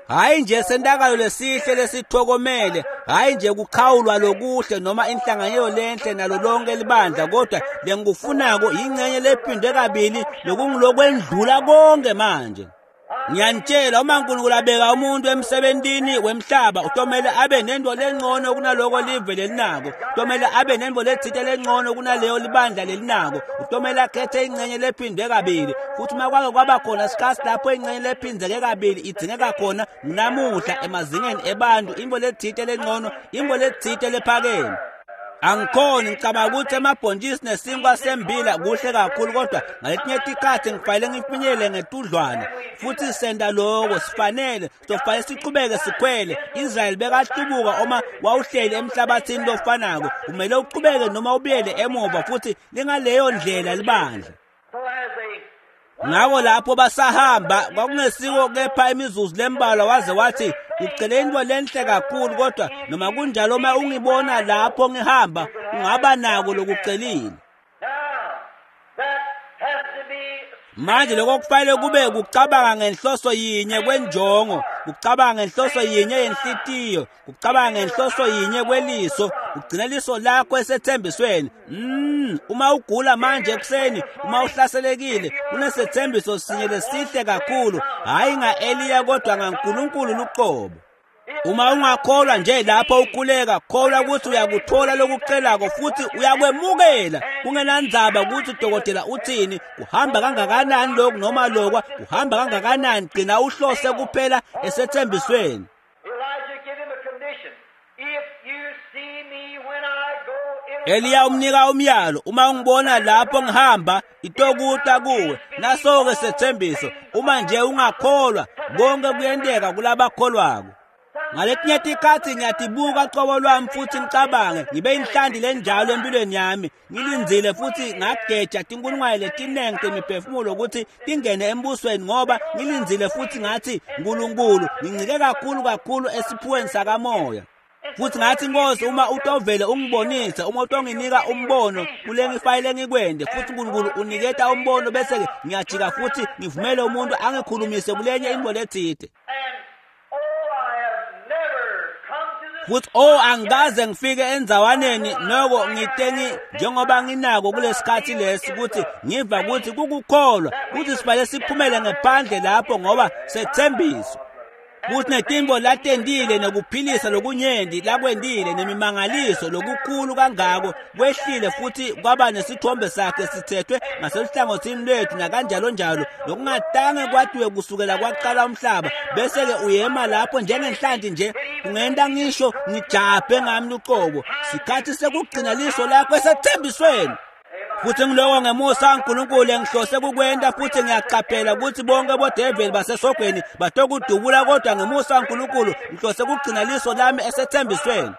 Hayi nje sentakalo lesihle lesithokomele, hayi nje kukhawulwa lokuhle noma inhlanganyelo lenhle nalo lonke libandla, kodwa lengikufunako ingcenye lephindwe kabili lokungilokwendlula konke manje. Ngiyanitshela, uma uNkulunkulu abeka umuntu emsebentini wemhlaba, utomele abe nento lengcono kunaloko live lelinako, utomele abe nento letsite lengcono kunaleyo libandla lelinako, utomele akhethe ingcenye lephindwe kabili. Futhi uma kwake kwaba khona isikhathi lapho ingcenye lephindeke kabili idzingeka khona, namuhla emazingeni ebantu, into letsite lengcono, into letsite lephakeme. Angikhoni ngicabanga ukuthi emabhontshisi nesinkwa sembila kuhle kakhulu, kodwa ngaletinye tikhathi ngifanele ngifinyelele ngetudlwana. Futhi senta loko, sifanele sofanele sichubeke sikhwele. Israyeli bekahlubuka uma wawuhleli emhlabathini lofanako, kumele uchubeke noma ubuyele emuva, futhi lingaleyo ndlela libandla. Ngako lapho basahamba kwakungesiko kepha imizuzu lembalwa, waze wathi ucele into lenhle kakhulu, kodwa noma kunjalo uma ungibona lapho ngihamba ungaba nako lokucelile. Manje lokho kufanele kube kucabanga ngenhloso yinye kwenjongo, kucabanga ngenhloso yinye yenhlitiyo, kucabanga ngenhloso yinye kweliso, ugcina liso lakho esethembisweni. Uma ugula manje ekuseni, uma uhlaselekile, kunesethembiso sinye lesihle kakhulu, hayi nga-Eliya kodwa ngaNkulunkulu luqobo. Uma ungakholwa nje lapho ukhuleka, kholwa ukuthi uyakuthola lokucelako futhi uyakwemukela, kungenandzaba ukuthi udokotela uthini, kuhamba kangakanani lokhu noma lokwa, kuhamba kangakanani, gcina uhlose kuphela esethembisweni. Eliya umnika umyalo, uma ungibona lapho ngihamba itokuta kuwe. Naso-ke sethembiso, uma nje ungakholwa, konke kuyenteka kulabakholwako. Ngaletinye tikhatsi ngiyatibuka cobo lwami futhi ngicabange ngibe inhlanti lenjalo empilweni yami, ngilindzile futhi ngageja tinkulungwane letinengi temiphefumulo ukuthi tingene embusweni, ngoba ngilindzile futhi ngathi Nkulunkulu ngincike kakhulu kakhulu esiphiweni sakamoya. Futhi ngathi Nkosi, uma utovele ungibonise, uma utonginika umbono kule ngifayile ngikwende, futhi uNkulunkulu uniketa umbono, bese-ke ngiyajika futhi ngivumele umuntu angikhulumise kulenye into letsite. Futhi angikaze ngifike endzawaneni noko ngitengi njengoba nginako kulesikhathi lesi ukuthi ngiva ukuthi kukukholwa ukuthi sibale siphumele ngephandle lapho ngoba sethembiso. Kuthi netimbo latendile nekuphilisa lokunyenti lakwendile nemimangaliso lokukhulu kangako kwehlile futhi kwaba nesithombe sakhe sithethwe ngaseluhlangothini lwethu nakanjalo njalo, lokungatange kwatiwe kusukela kwaqala umhlaba. Bese-ke uyema lapho njengenhlanti nje, kungenta ngisho ngijabhe ngami luqobo. Sikhathi sekugcina liso lakho esethembisweni. Futhi ngiloko ngemusa kaNkulunkulu engihlose kukwenta, futhi ngiyaqaphela ukuthi bonke bodeveli basesogweni batokudubula, kodwa ngemusa kaNkulunkulu ngihlose kugcina liso lami esethembisweni.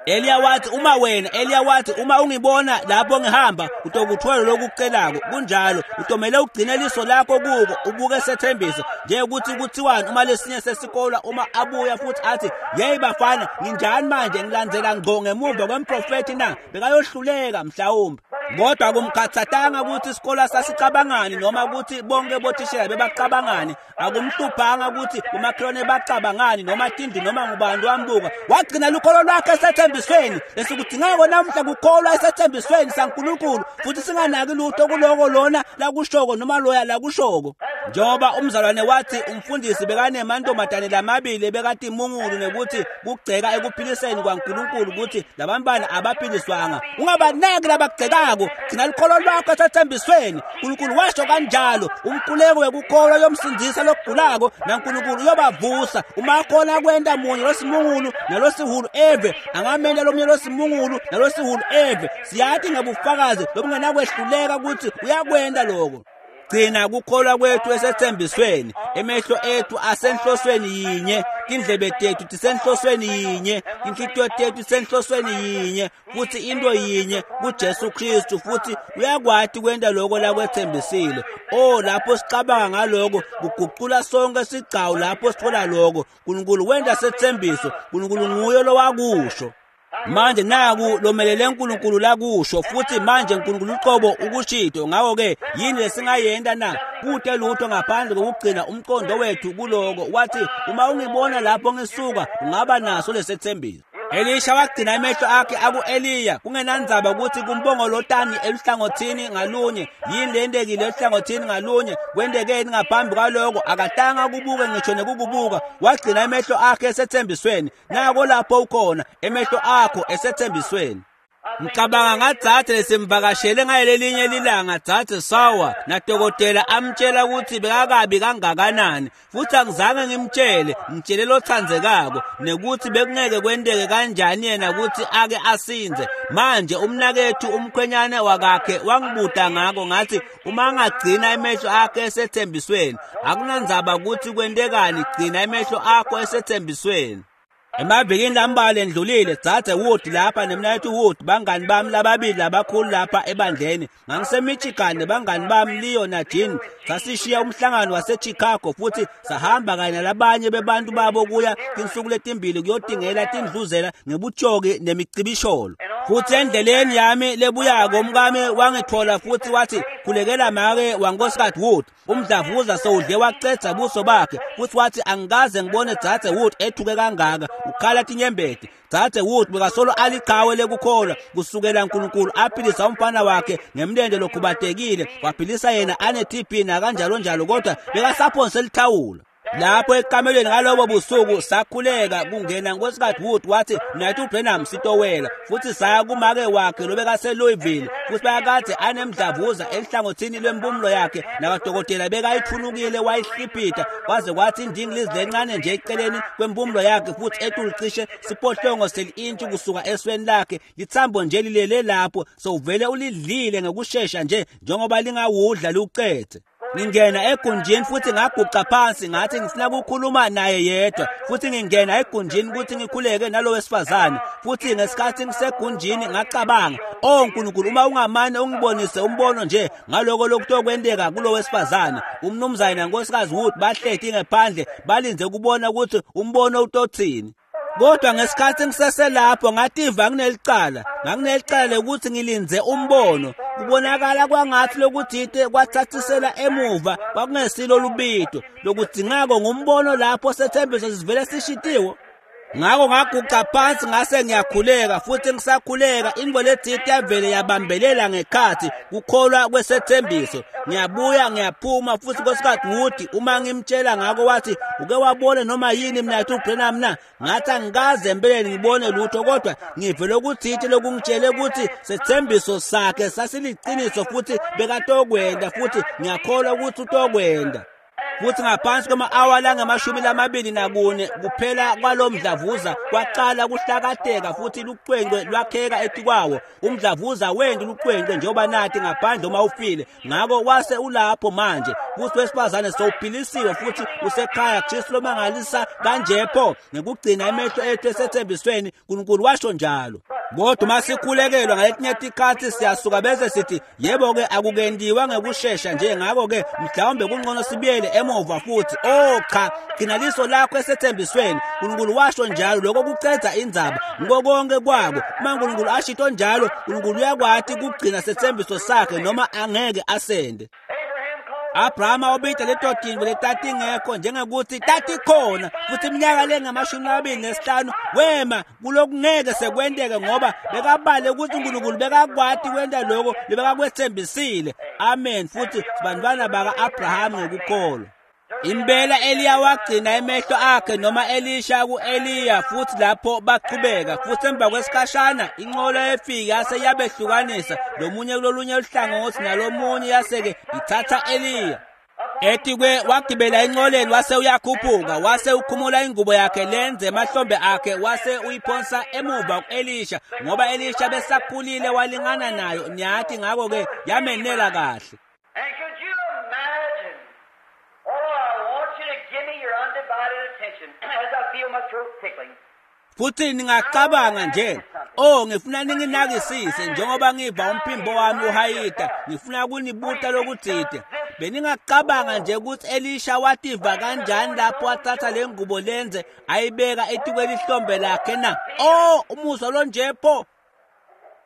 Eliya wathi uma wena, Eliya wathi uma ungibona lapho ngihamba utokuthola lokucelako. Kunjalo, utomele ugcine liso lakho kuko, ubuke sethembiso. Njengokuthi kuthiwani uma lesinye sesikolwa uma abuya futhi athi, "Yeyi bafana, nginjani manje ngilandzela ngqo ngemuva kwemprofethi na?" Bekayohluleka mhlawumbe. Kodwa kumkhathatanga ukuthi isikolo sasicabangani noma ukuthi bonke bothishela bebacabangani. Akumhluphanga ukuthi umakhelwane bacabangani noma tindlu noma ngubani wambuka. Wagcina lukholo lwakhe esethembisweni. Lesikudingako namuhla kukholwa esethembisweni saNkulunkulu, futhi singanaki lutho kuloko lona lakushoko noma loya lakushoko. Njengoba umzalwane wathi umfundisi bekanemantombazane lamabili bekati imungulu nekuthi kugceka ekuphiliseni kwaNkulunkulu ukuthi labantwana abaphiliswanga. Ungabanaki labagcekako, gcina lukholo lwakho esethembisweni. uNkulunkulu washo kanjalo, umkhuleko wekukholwa yomsindisa lokugulako naNkulunkulu uyobavusa. Uma khona kwenta munye losimungulu nalosihulu eve, angamenta lomunye losimungulu nalosihulu eve. Siyathi ngebufakazi lobungenakwehluleka ukuthi uyakwenta lokho. Gcina kukholwa kwethu esethembisweni. Emehlo ethu asenhlosweni yinye, tindlebe tethu tisenhlosweni yinye, tinhlitiyo tethu tisenhlosweni yinye, futhi into yinye kuJesu Kristu, futhi uyakwati kwenta lokho lakwethembisile. Lapho sicabanga ngaloko kuguqula sonke sigcawu lapho sithola lokho. uNkulunkulu wenta sethembiso, uNkulunkulu nguye lowakusho. Manje naku lomelele uNkulunkulu lakusho, futhi manje uNkulunkulu uqobo ukushito. Ngakho-ke yini lesingayenta na? Kute lutho ngaphandle kokugcina umqondo wethu kuloko. Wathi uma ungibona lapho ngisuka ungaba naso lesethembiso. Elisha wagcina emehlo akhe aku-Eliya, kungenandzaba ukuthi kumbongolotani eluhlangothini ngalunye, yini lentekile eluhlangothini ngalunye, kwentekeni ngaphambi kwaloko, akatanga kubuke ngisho nekukubuka. Wagcina emehlo akhe esethembisweni. Nako lapho ukhona, emehlo akho esethembisweni. Ngicabanga ngadzadze lesimvakashele ngalelinye lilanga, dzadze Sawa, nadokotela amtshela ukuthi bekakabi kangakanani, futhi angizange ngimtshele, ngitshele lothandzekako nekuthi bekungeke kwenteke kanjani yena ukuthi ake asinze. Manje umnakethu umkhwenyane wakakhe wangibuta ngako, ngathi uma angagcina emehlo akhe esethembisweni, akunandzaba ukuthi kwentekani, gcina emehlo akho esethembisweni. Emavikini lambalwa endlulile, dzadze Wood lapha nemnaketfu Wood, bangani bami lababili labakhulu lapha ebandleni. NgangiseMichigan nebangani bami Leo naJean. Sasishiya umhlangano waseChicago futhi sahamba kanye nalabanye bebantu babo kuya tinsuku letimbili kuyotingela tindluzela ngebutshoki nemicibisholo. Futhi endleleni yami lebuyako umkami wangithola futhi wathi, "Khulekela make waNkosikazi Wood." Umdlavuza sewudle wacedza buso bakhe, futhi wathi angikaze ngibone dzadze Wood ethuke kangaka, ukhala tinyembeti. Dzadze Wood bekasolo aliqhawe lekukholwa kusukela uNkulunkulu aphilisa umfana wakhe ngemlente lokhubatekile, waphilisa yena ane-TB nakanjalo njalo, kodwa bekasaphonse lithawula. Lapho ekamelweni ngalobo busuku sakhuleka kungena Nkosikazi Wood wathi Mnaketfu Branham sitowela, futhi saya kumake wakhe lobekase Louisville, futhi bayakade anemdlavuza enhlangothini lwempumulo yakhe, nabadokotela bekayithunukile wayihliphitha kwaze kwathi indingilizi lencane nje eceleni kwempumulo yakhe, futhi etulu cishe siphohlongo seli-intshi kusuka esweni lakhe, lithambo nje lilele lapho, sowuvele ulidlile ngekushesha nje njengoba lingawudla liwucethe. Ngingena egunjini futhi ngaguqa phansi, ngathi ngifuna ukukhuluma naye yedwa, futhi ngingena egunjini ukuthi ngikhuleke nalo wesifazane. Futhi ngesikhathi ngisegunjini ngacabanga, "Oh Nkulunkulu, uma ungamane ungibonise umbono nje ngaloko lokutokwenteka kulo wesifazane." Umnumzane nankosikazi Wood bahleti ngephandle balindze kubona ukuthi umbono utothini. Kodwa ngesikhathi ngiseselapho ngativa nginelicala, nganginelicala lokuthi ngilindze umbono. Kubonakala kwangathi lokuthite kwathathisela emuva kwakungesilo lubito lokudzingako ngumbono lapho sethembiso sivele sishitiwe. Ngakho ngaguqa phansi ngase ngiyakhuleka, futhi ngisakhuleka inbo lethite yavele yabambelela ngekhathi kukholwa kwesethembiso. Ngiyabuya ngiyaphuma, futhi Nkosikazi Wood uma ngimtshela ngako wathi, "Uke wabona noma yini Mnaketfu Branham na?" Ngathi angikaze empeleni ngibone lutho, kodwa ngive lokuthite lokungitshele ukuthi sethembiso sakhe sasiliqiniso futhi bekatokwenda, futhi ngiyakholwa ukuthi utokwenda. Futhi ngaphansi kwama-awa langamashumi lamabili nakune kuphela kwalo mdlavuza kwaqala kuhlakateka, futhi lucwencwe lwakheka etikwawo. Umdlavuza wenti lucwencwe njengoba nathi ngaphandle uma ufile. Ngako wase ulapho manje, futhi wesifazane sowuphilisiwe futhi usekhaya. Kristu lomangalisa kanje pho, ngekugcina emehlo ethu esethembisweni. uNkulunkulu washo njalo. Kodwa uma sikhulekelwa ngaletinye tikhathi siyasuka bese sithi, "Yebo-ke, akukentiwa ngekushesha nje, ngako-ke mhlawumbe kungcono sibuyele emuva futhi." Oh cha, gcina liso lakho esethembisweni. uNkulunkulu washo njalo, lokho kucedza indzaba ngiko konke kwako. Uma uNkulunkulu ashito njalo, uNkulunkulu uyakwati kugcina sethembiso sakhe noma angeke asende. Abraham called Abrahama wabita leto tintfo letatingekho njengekuthi tatikhona, futhi iminyaka lengamashumi amabili nesihlanu wema kulokungeke sekwenteke, ngoba bekabale ukuthi uNkulunkulu bekakwati kwenta lokho lebekakwetsembisile. Amen. Futhi sibantwana baka-Abrahamu ngekukholwa. Impela Eliya wagcina emehlo akhe, noma Elisha ku-Eliya, futhi lapho bachubeka, futhi emva kwesikhashana inqola efika yase yabehlukanisa, lomunye kulolunye uhlangothi nalomunye, yase-ke ithatha Eliya. Etikwe wagibela enqoleni wase uyakhuphuka, wase ukhumula ingubo yakhe lenze emahlombe akhe, wase uyiphonsa emuva ku-Elisha, ngoba Elisha besakhulile walingana nayo, niyathi, ngakho-ke yamenela kahle. And could you imagine? Oh, I want you to give me your undivided attention as I feel my throat tickling. Futhi ningacabanga nje, oh, ngifuna ninginakisise njengoba ngiva umphimbo wami uhayita, ngifuna kunibuta lokutsite. Beningacabanga nje ukuthi Elisha wativa kanjani lapho wathatha le ngubo lenze ayibeka etikwelihlombe lakhe na? Oh, umuzwa lonje pho!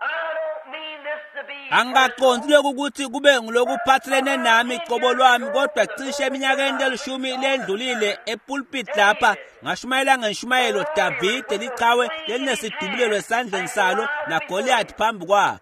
I don't mean this to be Angikaqondi lokhu ukuthi kube ngilokuphathelene nami qobo lwami, kodwa cishe eminyakeni lelishumi lendlulile epulpit lapha ngashumayela ngenshumayelo Davide liqhawe lelinesidubulelo esandleni salo naGoliath phambi kwakhe.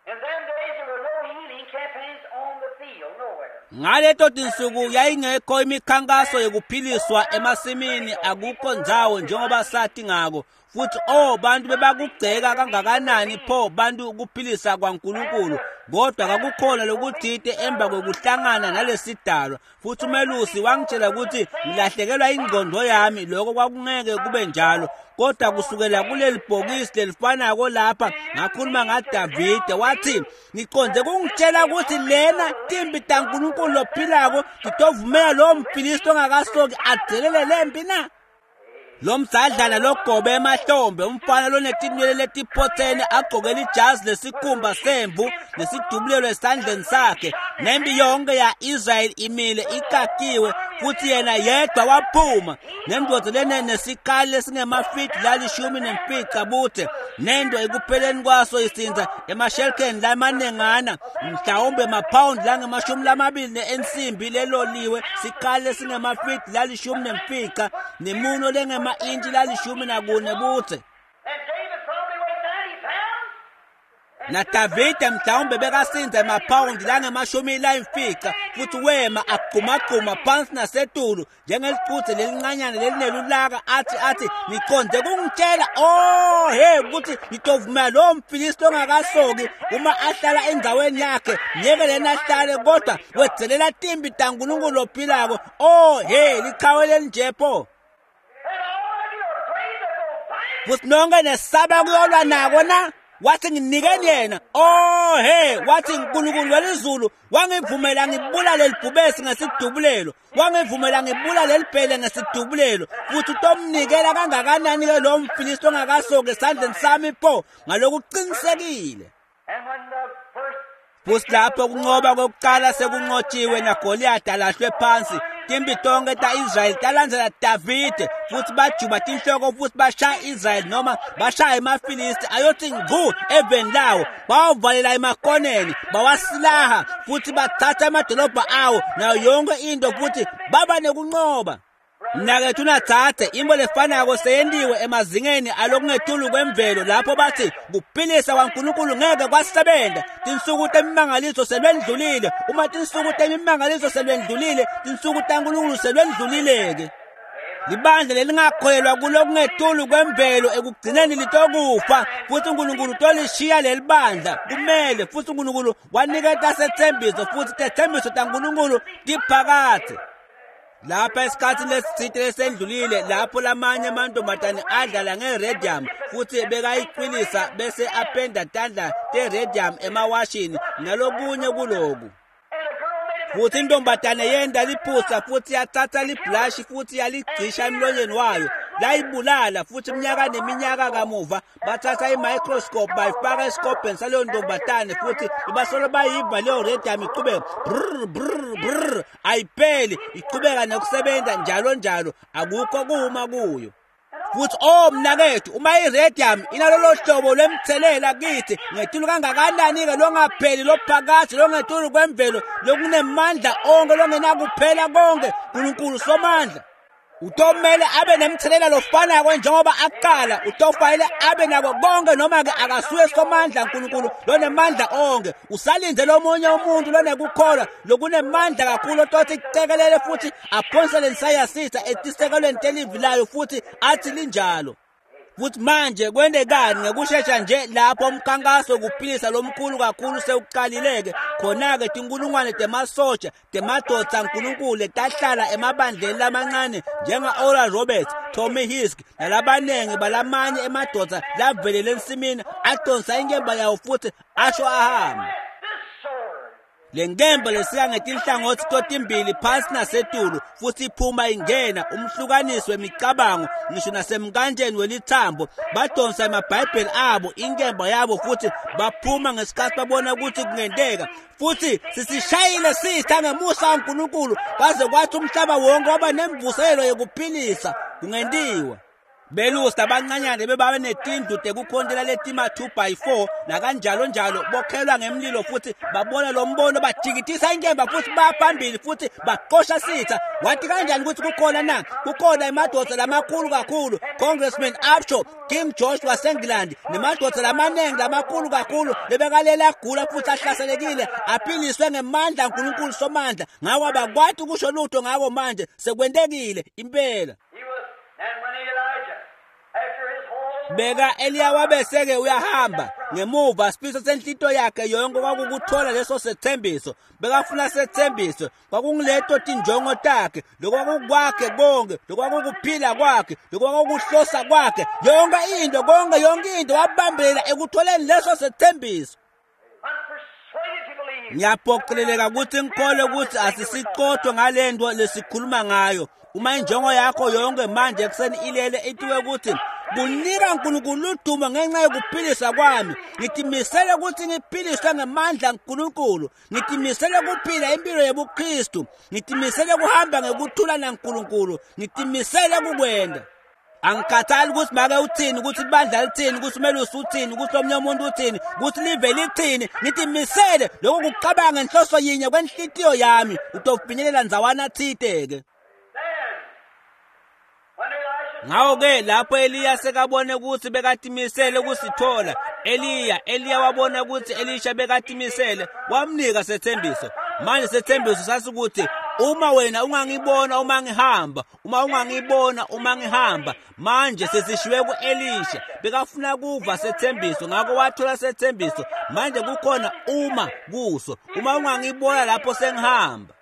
In them days there were no healing campaigns on the field, nowhere. Ngaleto tinsuku yayingekho imikhankaso yokuphiliswa emasimini, akukho ndzawo njengoba sathi ngako. Futhi oh, bantu bebakugceka kangakanani pho bantu ukuphilisa kwaNkulunkulu, kodwa kakukhona lokuthite emva kwekuhlangana nalesidalwa. Futhi umelusi wangitshela ukuthi ngilahlekelwa ingqondo yami, lokho kwakungeke kube njalo. Kodwa kusukela kuleli bhokisi lelifanako lapha ngakhuluma ngaDavide, wathi, "Ngiconde kungitshela ukuthi lena timbi taNkulunkulu lophilako titovumela lowo mfilisti ongakasoki adzelele lempi na? Lo mdzadlana logobe emahlombe, umfana lonetinwele letiphothene, agqoke ijazi lesikhumba semvu nesidubulelo esandleni sakhe, nempi yonke ya-Israyeli imile ikakiwe, futhi yena yedwa waphuma nendoda lene nesikali lesingemafidi lalishumi nemfica bude, nento ekupheleni kwaso isinza emashelkeni lamanengana, mhlawumbe maphawundi langamashumi lamabili ensimbi leloliwe, sikali lesingemafidi lalishumi nemfica nemuno lengema-intshi lalishumi nakune bude." And David probably weighed 90 pounds. NaDavide mhlawumbe bekasinza emaphawundi langama-50 futhi wema agqumagquma phansi nasetulu njengelicuthe lelincanyana lelinelulaka athi niqonde kungitshela oh hey ukuthi ngitovumela lo mFilisti ongakasoki uma ahlala endaweni yakhe ngeke lena ahlale kodwa wedzelela timbi taNkulunkulu ophilako. Oh hey liqhawe lelinje pho. Futhi nonke nesaba kuyolwa nako na? Wathi nginikeni yena. Oh hey, wathi uNkulunkulu welizulu wangivumela ngibulale libhubesi ngesidubulelo, wangivumela ngibulale libhele ngesidubulelo, futhi utomnikela kangakanani ke lo mFilisti ongakasoki esandleni sami pho ngalokuqinisekile. Futhi lapho kunqoba kokuqala sekunqotshiwe naGoliath alahlwe phansi, timbi tonke ta-Israyeli talandzela Davide futhi bajuba tinhloko futhi bashaya Israyeli noma bashaya emaFilisti ayothi ngqu eveni lawo, bawavalela emakoneni, bawasilaha futhi bathatha amadolobha awo nayo yonke into futhi baba nekunqoba. Mnakethu natsatse into lefanako seyentiwe emazingeni alokungetulu kwemvelo lapho bathi kuphilisa kwaNkulunkulu ngeke kwasebenza. Tinsuku temimangaliso selwendlulile. Uma tinsuku temimangaliso selwendlulile, tinsuku taNkulunkulu selwendlulile-ke. Libandla lelingakholelwa kulokungetulu kwemvelo ekugcineni litokufa futhi uNkulunkulu utolishiya leli bandla kumele. Futhi uNkulunkulu waniketa sethembiso futhi tethembiso taNkulunkulu tiphakathe. Lapha esikhathini lesithile lesendlulile lapho lamanye amantombazane adlala ngeradium futhi bekayiqinisa bese apenda tandla teradium emawashini nalokunye kuloku. Futhi intombazane yenda liphutha futhi yathatha liblashi futhi yaligcisha emlonyeni wayo layibulala. Futhi iminyaka neminyaka kamuva bathatha i-microscope bayifaka esikobheni saleyo ntombazane futhi basolo bayiva leyo radium iqhubeka brr brr brr, ayipheli, iqhubeka nokusebenza njalo njalo, akukho kuma kuyo. Futhi oh mnakethu, uma iradium inalolo hlobo lwemthelela kithi ngetulu kangakanani-ke longapheli lophakathi longetulu kwemvelo lokunemandla onke longenakuphela konke, uNkulunkulu somandla utomele abe nemthelela lofanako njengoba aqala, utofanele abe nako konke noma-ke akasuye somandla uNkulunkulu lonemandla onke. Usalinde lomunye umuntu lonekukholwa lokunemandla kakhulu otothi kucekelele futhi aphonsele nsayasitha etisekelweni telivi layo futhi athi linjalo. Futhi manje kwendekani ngekushesha nje lapho umkhankaso wokuphilisa lomkhulu kakhulu sewuqalile-ke, khona-ke tinkulungwane temasoja temadvodza aNkulunkulu tahlala emabandleni lamancane njenga-Oral Roberts, Tommy Hisk nalabaningi balamanye emadvodza lavelele ensimini adonsa inkemba yawo futhi asho ahambe. Le nkemba lesika ngetinhlangothi totimbili phansi nasetulu futhi iphuma ingena umhlukaniswe imicabango ngisho nasemkanjeni welithambo. Badonsa amabhayibheli abo inkemba yabo futhi baphuma ngesikhathi babona ukuthi kungenteka. Futhi sisishayile sitha ngemusa kaNkulunkulu kwaze kwathi umhlaba wonke waba nemvuselelo yokuphilisa kungentiwa. Belusi abancanyane bebabe netindlu tekukhontela letima 2x4 nakanjalo njalo, bokhelwa ngemlilo futhi babona lo mbono bajikitisa inkemba futhi baphambili futhi baqosha sitha. Wathi kanjani ukuthi kukhona na? Kukhona emadoda lamakhulu kakhulu, Congressman Upshaw, King George waseNgilandi nemadoda lamaningi lamakhulu kakhulu lebekalela agula futhi ahlaselekile aphiliswe ngemandla kaNkulunkulu somandla. Ngako abakwati kusho lutho ngako manje sekwentekile impela. Beka Eliya wabeseke uyahamba ngemuva sifiso senhlito yakhe yonke kwakukuthola leso sethembiso. Bekafuna sethembiso, kwakungileto tinjongo takhe, lokwakukwakhe konke, lokwakukuphila kwakhe, lokwakukuhlosa kwakhe, yonke into konke, yonke into wabambelela ekutholeni leso sethembiso. Ngiyaphoqeleleka ukuthi ngikholwe ukuthi asisiqothwe ngale nto lesikhuluma ngayo. Uma injongo yakho yonke manje ekuseni ilele itiwe ukuthi kunika uNkulunkulu udumo ngenxa yokuphilisa kwami, ngitimisele ukuthi ngiphiliswe ngemandla kaNkulunkulu, ngitimisele ukuphila impilo yobuKristu, ngitimisele ukuhamba ngekuthula naNkulunkulu, ngitimisele ukukwenda. Angikhathali ukuthi make uthini, ukuthi ibandla lithini, ukuthi umelusi uthini, ukuthi omunye umuntu uthini, ukuthi live lithini, ngitimisele lokhu kucabanga ngenhloso yinye kwenhlitiyo yami, utofinyelela ndzawana thite-ke. Ngawo-ke lapho Eliya sekabone ukuthi bekatimisele ukusithola, Eliya wabona ukuthi Elisha bekatimisele, wamnika sethembiso. Manje sethembiso sasikuthi uma wena ungangibona uma ngihamba, uma ungangibona uma ngihamba. Manje sesishiwe kuElisha, bekafuna kuva sethembiso, ngakho wathola sethembiso. Manje kukhona uma kuso, uma ungangibona lapho sengihamba.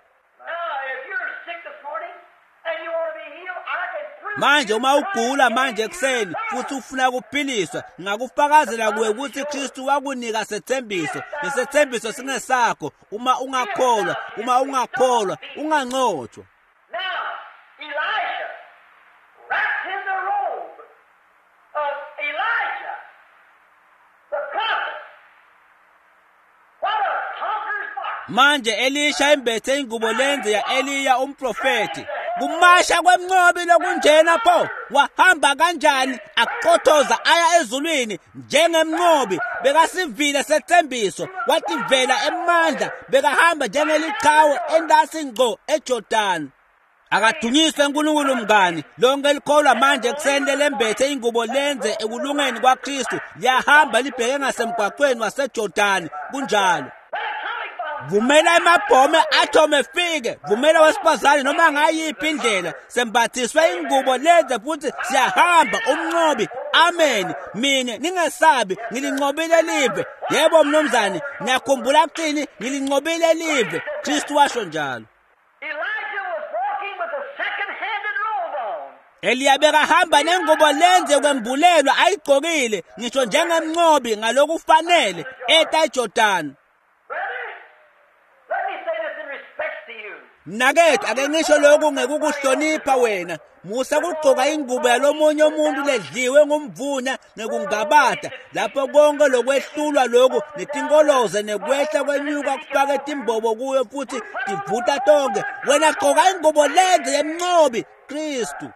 Manje uma ugula manje ekuseni futhi ufuna ukuphiliswa, ngakufakazela kuwe ukuthi Kristu wakunika sethembiso. Lesethembiso singesakho uma ungakholwa, uma ungakholwa unganqotshwa. Now Elisha wrapped in the robe of Elijah the prophet. What a conqueror's march. Manje Elisha embethe ingubo lenze ya Eliya umprofeti. Kumasha kwemnqobi lokunjena pho, wahamba kanjani aqothoza aya ezulwini njengemnqobi. Bekasivile sethembiso, wativela emandla, bekahamba njengeliqhawe endasi ngqo eJordan. Akadunyiswe uNkulunkulu mngani, lonke likholwa manje ekuseni lembethe ingubo lenze ekulungeni kwaKristu, liyahamba libheke ngasemgwaqweni waseJordan. Kunjalo. Vumela amabhome athome efike, vumela wesifazane noma ngayiphi indlela, sembathiswe ingubo lenze futhi siyahamba umnqobi. Amen. Mina ningesabi, ngilinqobile live. Yebo mnumzane, ngiyakhumbula kuthini, ngilinqobile live. Kristu washo njalo. Elijah was walking with a second-handed robe on. Eliya bekahamba nengubo lenze kwembulelwa ayigqokile, ngisho njengemnqobi ngalokufanele eta eJordan. Brother, let me say this in respect to you. Mnakethu, ake ngisho lokhu ngekukuhlonipha wena. Musa kugqoka ingubo yalomunye umuntu ledliwe ngumvunya ngekungabata, lapho konke lokwehlulwa lokhu netinkoloze nekwehla kwenyuka kufake timbobo kuyo futhi tivuta tonke. Wena gqoka ingubo lenze yemnqobi Kristu.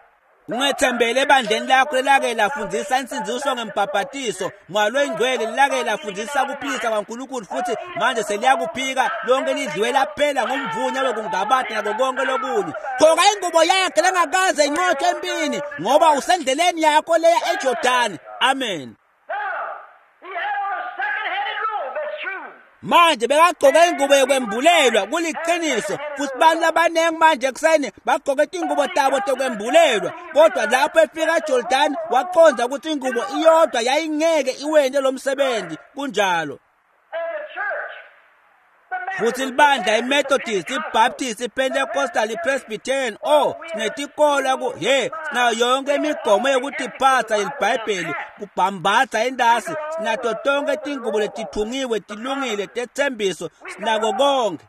Ungethembele ebandleni lakho lelake lafundisa insindiso ngembhabhatiso, Moya Oyingcwele lelake lafundisa ukuphilisa kwaNkulunkulu, futhi manje seliyakuphika lonke lidliwe laphela ngomvunya wekungabata nako konke lokunye. Gqoka ingubo yakhe lengakaze inqotshwe empini, ngoba usendleleni yakho leya eJordani. Amen. Now, he had on a second-handed robe, that's true. Manje bekagqoke ingubo yokwembulelwa, kuliqiniso. Futhi bantu abaningi manje ekuseni bagqoke ingubo tabo tokwembulelwa, kodwa lapho efika eJordan waqonda ukuthi ingubo iyodwa yayingeke iwente lo msebenzi. Kunjalo. And the church, the Futhi libandla iMethodist, iBaptist, iPentecostal, iPresbyterian, oh sinetikolo ku hey, sinayo yonke imigomo yokutiphatha yeliBhayibheli, kubhambatha endasi, sinato tonke tingubo letithungiwe tilungile tethembiso, sinako konke.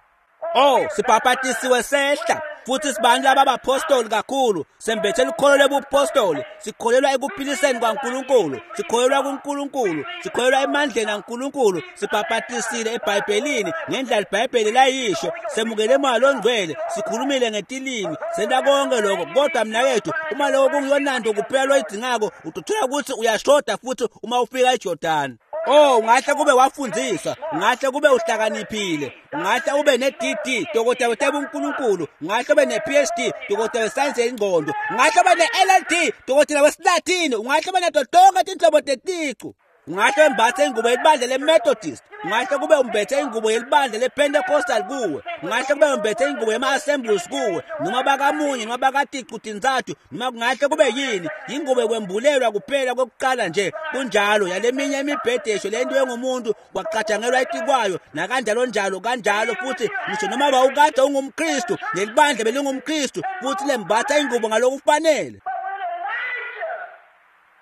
Oh, sibhabhatisiwe sehla futhi sibantu ababapostoli kakhulu, sembethe lukholo lobupostoli, sikholelwa ekuphiliseni kwaNkulunkulu, sikholelwa kuNkulunkulu, sikholelwa emandleni aNkulunkulu, sibhabhatisile eBhayibhelini ngendlela iBhayibheli layisho, semukele Moya Ongcwele, sikhulumile ngetilimi, senta konke lokho. Kodwa mnakethu, uma lokho kungiyonanto kuphela loyidingako, utothola ukuthi uyashoda futhi uma ufika eJordan. Oh, ungahle kube wafundiswa, ungahle kube uhlakaniphile, ungahle ube ne-DD, dokotela wetebunkulunkulu, ungahle ube ne-PhD, dokotela wesayensi yengqondo, ungahle ube ne-LLD, dokotela wesiLatini, ungahle ube nato tonke tinhlobo teticu. Ungahle wembathe ingubo yelibandla leMethodist, ungahle kube umbethe ingubo yelibandla lePentecostal kuwe, ungahle kube umbethe ingubo yema-Assemblies kuwe, noma bakamunye, noma bakaticu tintsathu, noma kungahle kube yini, ingubo yokwembulelwa kuphela kokuqala nje. Kunjalo, yaleminye imibhedesho lento engumuntu kwacatshangelwa etikwayo nakanjalo njalo kanjalo. Futhi ngisho noma bawukade ungumKristu nelibandla belingumKristu, futhi lembatha ingubo ngalokufanele. But when Elijah,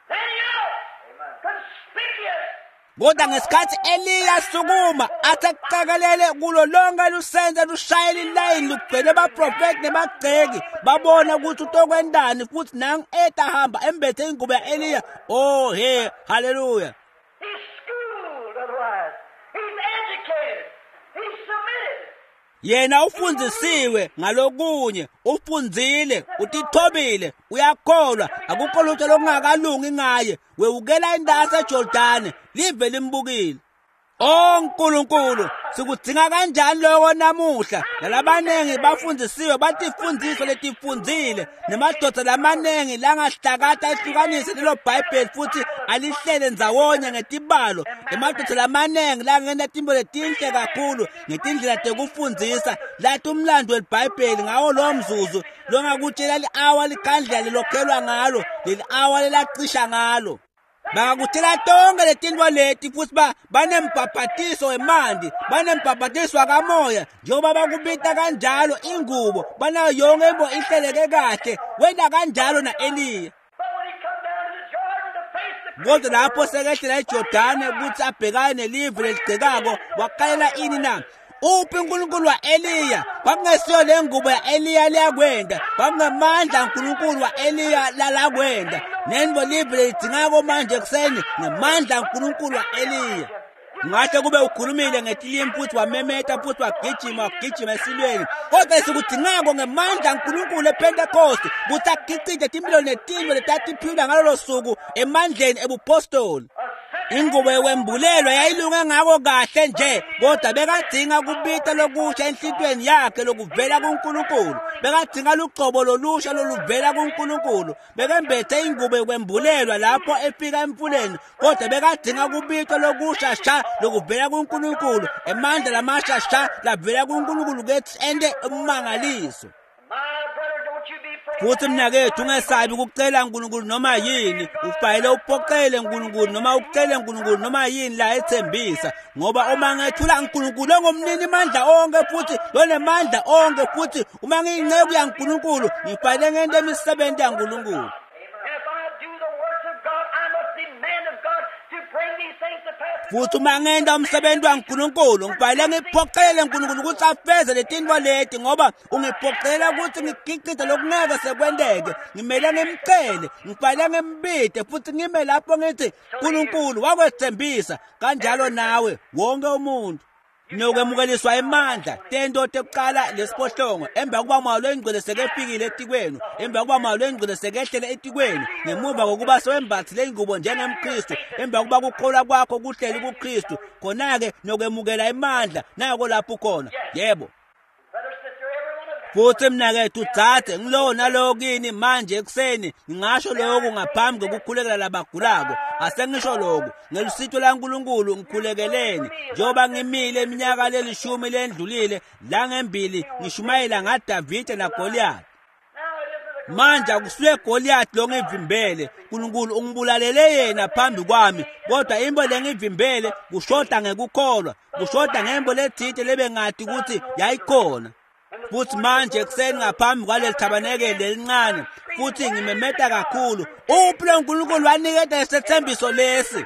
then he out, conspicuous, Kodwa ngesikhathi Eliya sukuma athi akucakelele kulo lonke lusenze lushayela ilayini lugcwele abaprofethi nebagceki, babona ukuthi utokwendani, futhi nangu eta hamba embethe ingubo ya-Eliya. Oh he, haleluya. he's schooled otherwise. He's educated. He's submitted. Yena ufundzisiwe ngalokunye, ufundzile, utithobile, uyakholwa, akukho lutho lokungakalungi ngaye. Wewukela intasi eJordani, live limbukile. O Nkulunkulu, sikudzinga kanjani lokho namuhla? Nalabaningi bafundisiwe, batifundiso letifundzile, nemadoda lamaningi langahlakata ehlukanise lelo Bhayibheli futhi alihlele ndzawonye ngetibalo. Emadoda lamaningi langena tintfo letinhle kakhulu ngetindlela tekufundzisa, lati umlando welibhayibheli ngawo lowo mzuzu longakutshela li-awa likhandlela lelokhelwa ngalo, leli-awa lelacisha ngalo. Bangakutshela tonke letintfo leti futhi banembhabhatiso wemanti, banembhabhatiso wakamoya, njengoba bakubita kanjalo ingubo, banayo yonke intfo ihleleke kahle, wenta kanjalo na-Eliya. Kodwa lapho sekehlela eJordane ukuthi abhekane nelive leligcekako, wakalela ini na? Uphi uNkulunkulu wa-Eliya? Kwakungesiyo le ngubo ya-Eliya leyakwenda, kwakungemandla aNkulunkulu wa-Eliya lalakwenda. Nentfo live lelidzingako manje ekuseni ngemandla aNkulunkulu wa-Eliya. Ngahle kube ukhulumile ngetilimi futhi wamemeta futhi wagijima wagijima esilweni, kodwa esikudzingako ngemandla aNkulunkulu ePentecost kutsi agicite timphilo netintfo letatiphilwa ngalolo suku emandleni ebupostoli. Ingubo yekwembulelwa yayilunge ngako kahle nje, kodwa bekadzinga kubita lokusha enhlitiyweni yakhe lokuvela kuNkulunkulu. Bekadzinga lugcobo lolusha loluvela kuNkulunkulu. Bekembethe ingubo yekwembulelwa lapho efika emfuleni, kodwa bekadzinga kubitwa lokusha sha lokuvela kuNkulunkulu, emandla lamasha sha lavela kuNkulunkulu kethi ente ummangaliso. Futhi mnakethu, ungesabi ukucela uNkulunkulu noma yini. Ufanele uphoqele uNkulunkulu noma ucele uNkulunkulu noma yini la ethembisa, ngoba uma ngethula uNkulunkulu ongumnini mandla onke futhi lonemandla onke, futhi uma ngiyinceku yaNkulunkulu ngifanele ngente imisebenzi yaNkulunkulu. Futhi uma ngenta umsebenzi waNkulunkulu ngifanele ngiphoqele uNkulunkulu ukuthi afeze letintfo leti, ngoba ungiphoqela ukuthi ngigicide lokungeke sekwenteke. Ngimele ngimcele, ngifanele ngimbide futhi ngime lapho ngithi uNkulunkulu wakwethembisa. Kanjalo nawe wonke umuntu nokwemukeliswa emandla tento tekuqala lesiphohlongo emva kokuba Moya loyiNgcwele sekefikile etikwenu, emva kokuba Moya loyiNgcwele sekehlele etikwenu, ngemuva kokuba sewembathile ingubo njengemKristu, emva kokuba kukholwa kwakho kuhleli kuKristu, khona-ke nokwemukela emandla. Nako lapho ukhona. Yebo. Futhi mnakethu dzadze, ngilowo nalowo kini manje ekuseni ngingasho lokhu ngaphambi kokukhulekela labagulako. Asengisho lokhu ngelusito laNkulunkulu, ngikhulekeleni njengoba ngimile iminyaka lelishumi lendlulile langembili ngishumayela ngaDavide naGoliath. Manje akusuye Goliath lo ngivimbele, uNkulunkulu ungibulalele yena phambi kwami, kodwa into lengivimbele kushoda ngekukholwa, kushoda ngembo lethile lebengati ukuthi yayikhona. Futhi manje ekuseni ngaphambi kwaleli thabanekeli lelincane, futhi ngimemeta kakhulu, uphi lo nkulunkulu waniketa isethembiso lesi?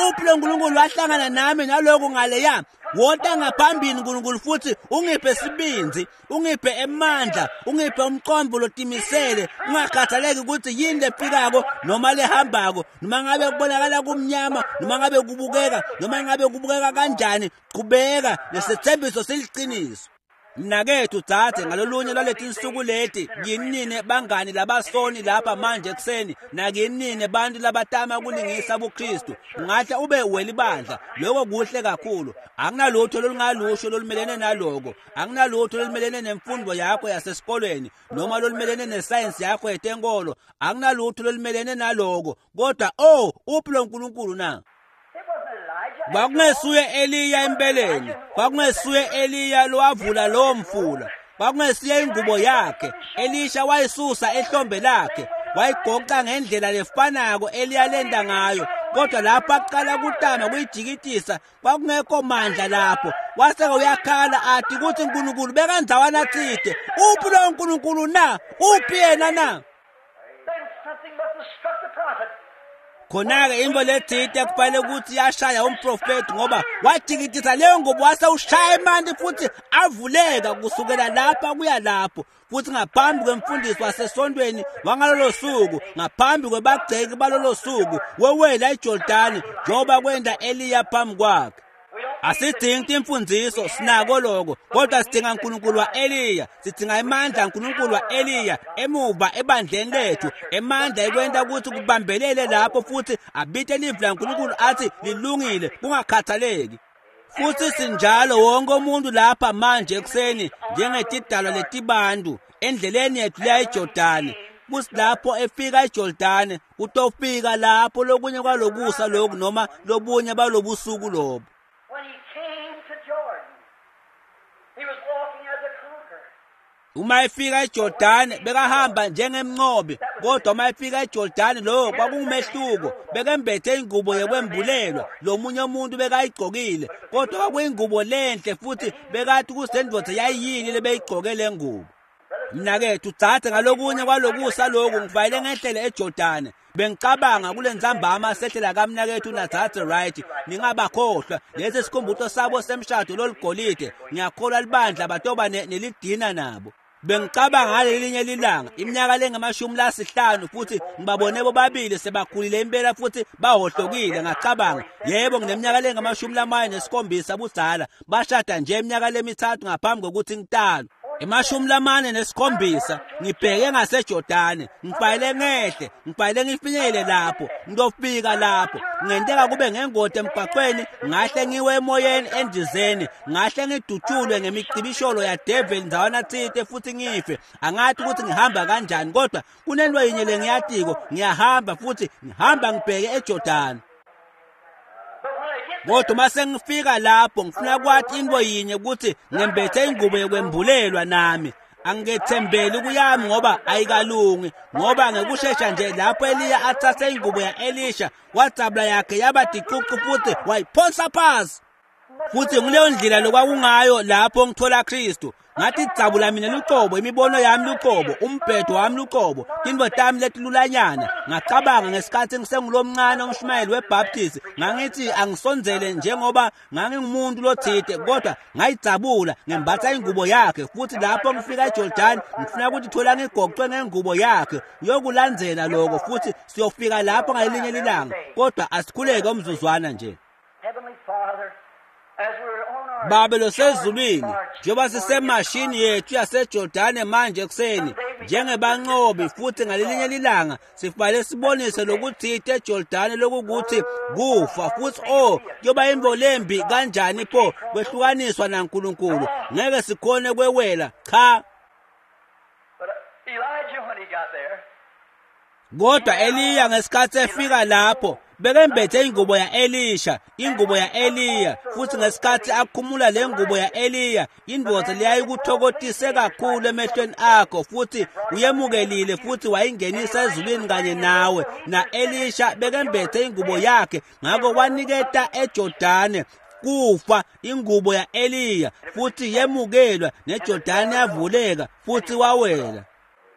Uphi lo nkulunkulu wahlangana nami naloku ngaleya? Wota ngaphambili nkulunkulu futhi ungiphe sibindzi, ungiphe emandla, ungiphe umqondo lotimisele, ungakhathaleki ukuthi yini lefikako noma lehambako, noma ngabe kubonakala kumnyama, noma ngabe kubukeka, noma ngabe kubukeka kanjani, qhubeka lesethembiso siliqiniso. Mnakethu dzadze, ngalolunye lwaletinsuku leti, kinine bangani labasoni lapha manje ekuseni, nakinine bantu labatama kulingisa buKristu, ungahle ube welibandla, lokho kuhle kakhulu. Akunalutho olungalusho lolumelene naloko, akunalutho olumelene nemfundo yakho yasesikolweni noma lolumelene nesayensi yakho yetenkolo, akunalutho olumelene naloko. Kodwa oh, uphi lo nkulunkulu na? Kwakungesuye Eliya empeleni, kwakungesuye Eliya lowavula lowo mfula, kwakungesiye ingubo yakhe. Elisha wayisusa ehlombe lakhe, wayigoqa ngendlela lefanako Eliya lenda ngayo, kodwa lapho aqala kutama kuyijikitisa kwakungekho mandla lapho. Waseke uyakhala athi ukuthi uNkulunkulu bekandzawana tsite. Uphi lo nkulunkulu na? Uphi yena na? Khona-ke into lethite kufanele ukuthi yashaya umprofethi, ngoba wajikitisa leyo ngubo wase ushaya emanti futhi avuleka kusukela lapha kuya lapho. Futhi ngaphambi kwemfundiso wasesontweni wangalolo suku, ngaphambi kwebagceki balolo suku, wewela iJordani njengoba kwenda Eliya phambi kwakhe. Asidingi imfundiso, sinako lokho, kodwa sidinga uNkulunkulu wa-Eliya, sidinga amandla kaNkulunkulu wa-Eliya emuva ebandleni lethu, emandla ekwenta ukuthi kubambelele lapho futhi abite livi laNkulunkulu athi lilungile kungakhathaleki. Futhi sinjalo wonke umuntu lapha manje ekuseni njengetidalwa letibantu endleleni yethu leya eJordani. Kuthi lapho efika eJordani utofika lapho lokunye kwalokusa lokhu noma lobunye balobusuku lobo. When he came to Jordan, he was walking as a conqueror. Uma efika eJordani bekahamba njengemnqobi, kodwa uma efika eJordani lo kwakungumehluko. Bekembethe ingubo yekwembulelwa, lomunye umuntu bekayigqokile, kodwa kwakuyingubo lenhle futhi bekathi kusendvodza yayiyini lebeyigqoke le ngubo. Mnakethu dzadze, ngalokunye kwalokusa lokhu ngifayele ngehlele eJordani. Bengicabanga kule ntsambama sehlela kamnakethu nadzadze Wright, ningabakhohlwa lesi sikhumbuto sabo semshado lolugolide. Ngiyakholwa libandla batoba nelidina nabo. Bengicabanga ngalelinye lilanga iminyaka lengamashumi lasihlanu futhi ngibabone bobabili sebakhulile impela futhi bahohlokile. Ngacabanga, yebo, ngineminyaka lengamashumi 47 budzala, bashada nje iminyaka lemithathu ngaphambi kokuthi ngitalwe. 47, ngibheke ngaseJordani, ngifayele ngehle, ngifayele ngifinyele lapho, ngiyofika lapho. Kungenteka kube ngengoti emgwaqweni, ngahle ngiwe emoyeni endizeni, ngahle ngidutshulwe ngemicibisholo yadeveli ndzawana tsite futhi ngife. Angathi ukuthi ngihamba kanjani, kodwa kunento yinye lengiyatiko, ngiyahamba futhi ngihamba ngibheke eJordani. But when I get Kodwa uma sengifika lapho ngifuna kwathi into yinye ukuthi ngembethe ingubo yokwembulelwa nami. Angethembeli kuyami ngoba ayikalungi, ngoba ngekushesha nje lapho Eliya athathe ingubo ya-Elisha wadzabula yakhe yaba ticucu futhi wayiphonsa phasi. Futhi nguleyo ndlela lokwakungayo lapho ngithola Kristu. Ngathi dzabula mina lucobo, imibono yami lucobo, umbhedo wami lucobo, tintfo tami letilulanyana. Ngacabanga ngesikhathi ngisengulomncane umshumayeli weBaptist, ngangithi angisondzele njengoba ngangingumuntu lothite, kodwa ngayidzabula ngembatha ingubo yakhe. Futhi lapho ngifika eJordani ngifuna ukuthi thola ngigoqwe ngengubo yakhe. Uyokulandzela lokho futhi siyofika lapho ngalelinye lilanga, kodwa asikhuleke umzuzwana nje. Heavenly Father, as we're on our Babe losezulwini, njengoba sisemashini yethu yaseJordani manje ekuseni njengebanqobi, futhi ngalelinye lilanga sifanele sibonise lokuthite eJordani lokukuthi kufa. Futhi oh, kuyoba imvo lembi kanjani pho kwehlukaniswa naNkulunkulu. Ngeke sikhone kwewela, cha. But Elijah, when he got there, Kodwa Eliya ngesikhathi efika lapho bekembethe ingubo ya-Elisha, ingubo ya-Eliya. Futhi ngesikhathi akhumula le ngubo ya-Eliya, indvodza leyayikuthokotise kakhulu emehlweni akho, futhi uyemukelile futhi wayingenisa ezulwini kanye nawe. Na-Elisha bekembethe ingubo yakhe, ngakho waniketa eJordani kufa ingubo ya-Eliya, futhi yemukelwa, neJordani yavuleka futhi wawela.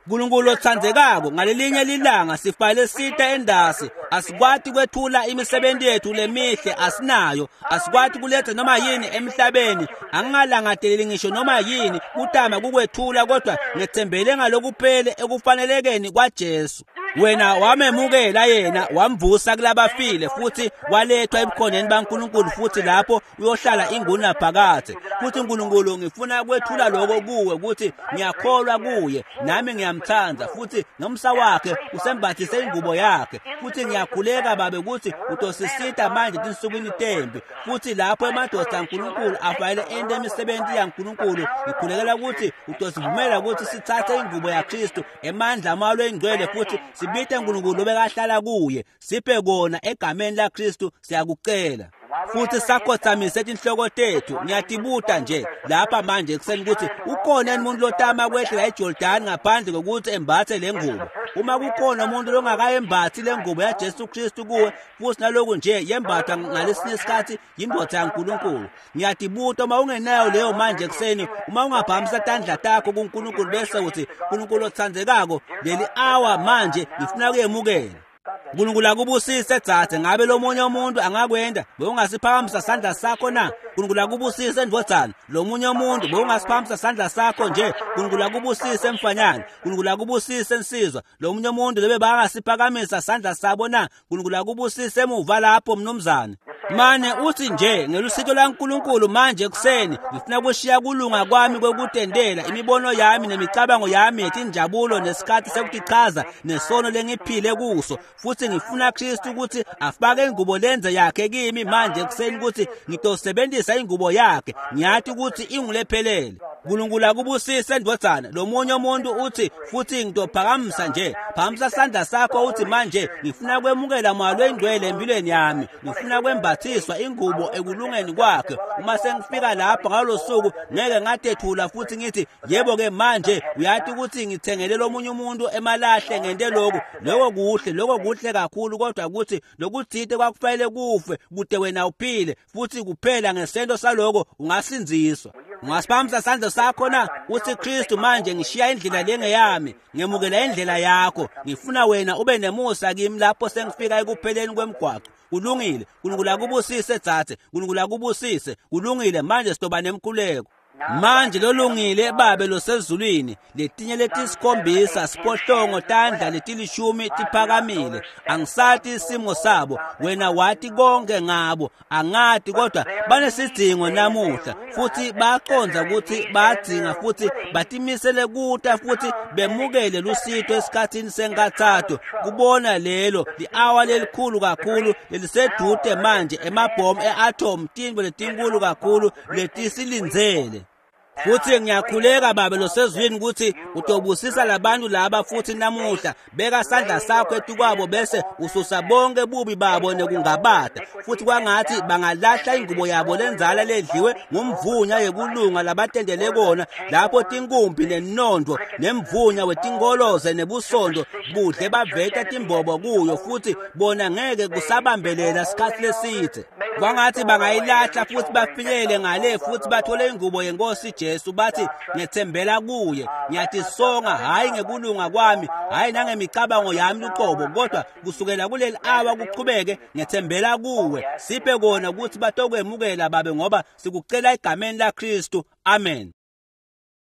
Nkulunkulu otsandzekako, ngalelinye lilanga sifanele site endasi. Asikwati kwethula imisebenzi yethu lemihle, asinayo. Asikwati kuletha noma yini emhlabeni. Angingalangateleli ngisho noma yini kutama kukwethula, kodwa ngethembele ngalokuphele ekufanelekeni kwaJesu. Wena wamemukela yena, wamvusa kulabafile, futhi walethwa ebukhoneni baNkulunkulu, futhi lapho uyohlala ingunaphakadze. Futhi Nkulunkulu, ngifuna kwethula lokho kuwe ukuthi ngiyakholwa kuye, nami ngiyamthanda, futhi nomsa wakhe usembathise ingubo yakhe. Futhi ngiyakhuleka Babe ukuthi utosisita manje tinsukwini tembi, futhi lapho emadoda aNkulunkulu afanele ente imisebenzi yaNkulunkulu, ngikhulekela ukuthi utosivumela ukuthi sithathe ingubo yaKristu, emandla amalo engcwele, futhi sibite uNkulunkulu obekahlala kuye. Siphe kona egameni laKristu, siyakucela. Futhi sakhothamise tinhloko tethu. Ngiyatibuta nje lapha manje ekuseni ukuthi ukhona yini umuntu lotama kwehlela eJordani ngaphandle kokuthi embathe le ngubo. Uma kukhona umuntu longakayembathi le ngubo yaJesu Kristu kuwe, futhi naloku nje yembathwa ngalesinye isikhathi yindvodza yaNkulunkulu, ngiyatibuta uma ungenayo leyo manje ekuseni, uma ungaphakamisa tandla takho kuNkulunkulu bese uthi, Nkulunkulu otsandzekako, leli awa manje ngifuna kuyemukela. Nkulunkulu akubusise dzadze. Ngabe lomunye umuntu angakwenda? Bewungasiphakamisa sandla sakho na? Nkulunkulu akubusise ndvodzana. Lomunye umuntu bewungasiphakamisa sandla sakho nje? Nkulunkulu akubusise mfanyana. Nkulunkulu akubusise nsizwa. Lomunye umuntu lebe bangasiphakamisa sandla sabo na? Nkulunkulu akubusise emuva lapho mnumzane. Mane uthi nje ngelusito laNkulunkulu manje ekuseni ngifuna kushiya kulunga kwami kwekutendela imibono yami nemicabango yami yetinjabulo nesikhathi sekutichaza nesono lengiphile kuso, futhi ngifuna Kristu ukuthi afake ingubo lenze yakhe kimi manje ekuseni ukuthi ngitosebenzisa ingubo yakhe. Ngiyathi ukuthi ingulephelele. Nkulunkulu akubusise ndvodzana. Lomunye umuntu uthi futhi ngitophakamisa nje, phakamisa sandla sakho uthi manje ngifuna kwemukela moya lwengcwele empilweni yami, ngifuna kwembathiswa ingubo ekulungeni kwakhe. Uma sengifika lapha ngalolo suku ngeke ngatethula futhi ngithi yebo-ke manje uyathi ukuthi ngithengele lomunye umuntu emalahle ngente lokhu. Lokho kuhle, lokho kuhle kakhulu, kodwa ukuthi lokuthite kwakufanele kufe kude wena uphile, futhi kuphela ngesento saloko ungasindziswa. Ungasiphakamisa sandla sakho na uthi Kristu manje ngishiya indlela lengeyami, ngemukela indlela yakho, ngifuna wena ube nemusa kimi lapho sengifika ekupheleni kwemgwaqo. Kulungile. Nkulunkulu akubusise dzadze, Nkulunkulu akubusise. Kulungile, manje sitoba nemkhuleko. Manje lolungile Babe losezulwini, letinye letisikhombisa siphohlongo tandla letilishumi tiphakamile. Angisati isimo sabo, wena wati konke ngabo, angati, kodwa banesidingo namuhla futhi baqonza ukuthi badzinga futhi batimisele kuta futhi bemukele lusito esikhathini senkathatho kubona lelo li-awa lelikhulu kakhulu lelisedude manje, emabhomu e-atom, tintfo letinkulu kakhulu letisilindzele. Futhi ngiyakhuleka Babe losezulwini ukuthi utobusisa labantu laba futhi namuhla, beka sandla sakho etukwabo bese ususa bonke bubi babo nekungabata, futhi kwangathi bangalahla ingubo yabo lenzala ledliwe ngumvunya yekulunga labatendele kona lapho tinkumbi nenondo nemvunya wetinkoloze nebusondo budle baveta timbobo kuyo, futhi bona ngeke kusabambelela sikhathi lesithe. Kwangathi bangayilahla futhi bafinyele ngale futhi bathole ingubo yenkosi Jesu, bathi ngethembela kuye, ngiyatisonga hhayi ngekulunga kwami, hhayi nangemicabango yami luqobo, kodwa kusukela kuleli awa kuqhubeke ngethembela kuwe. Siphe kona ukuthi batokwemukela Babe, ngoba sikucela egameni laKristu. Amen.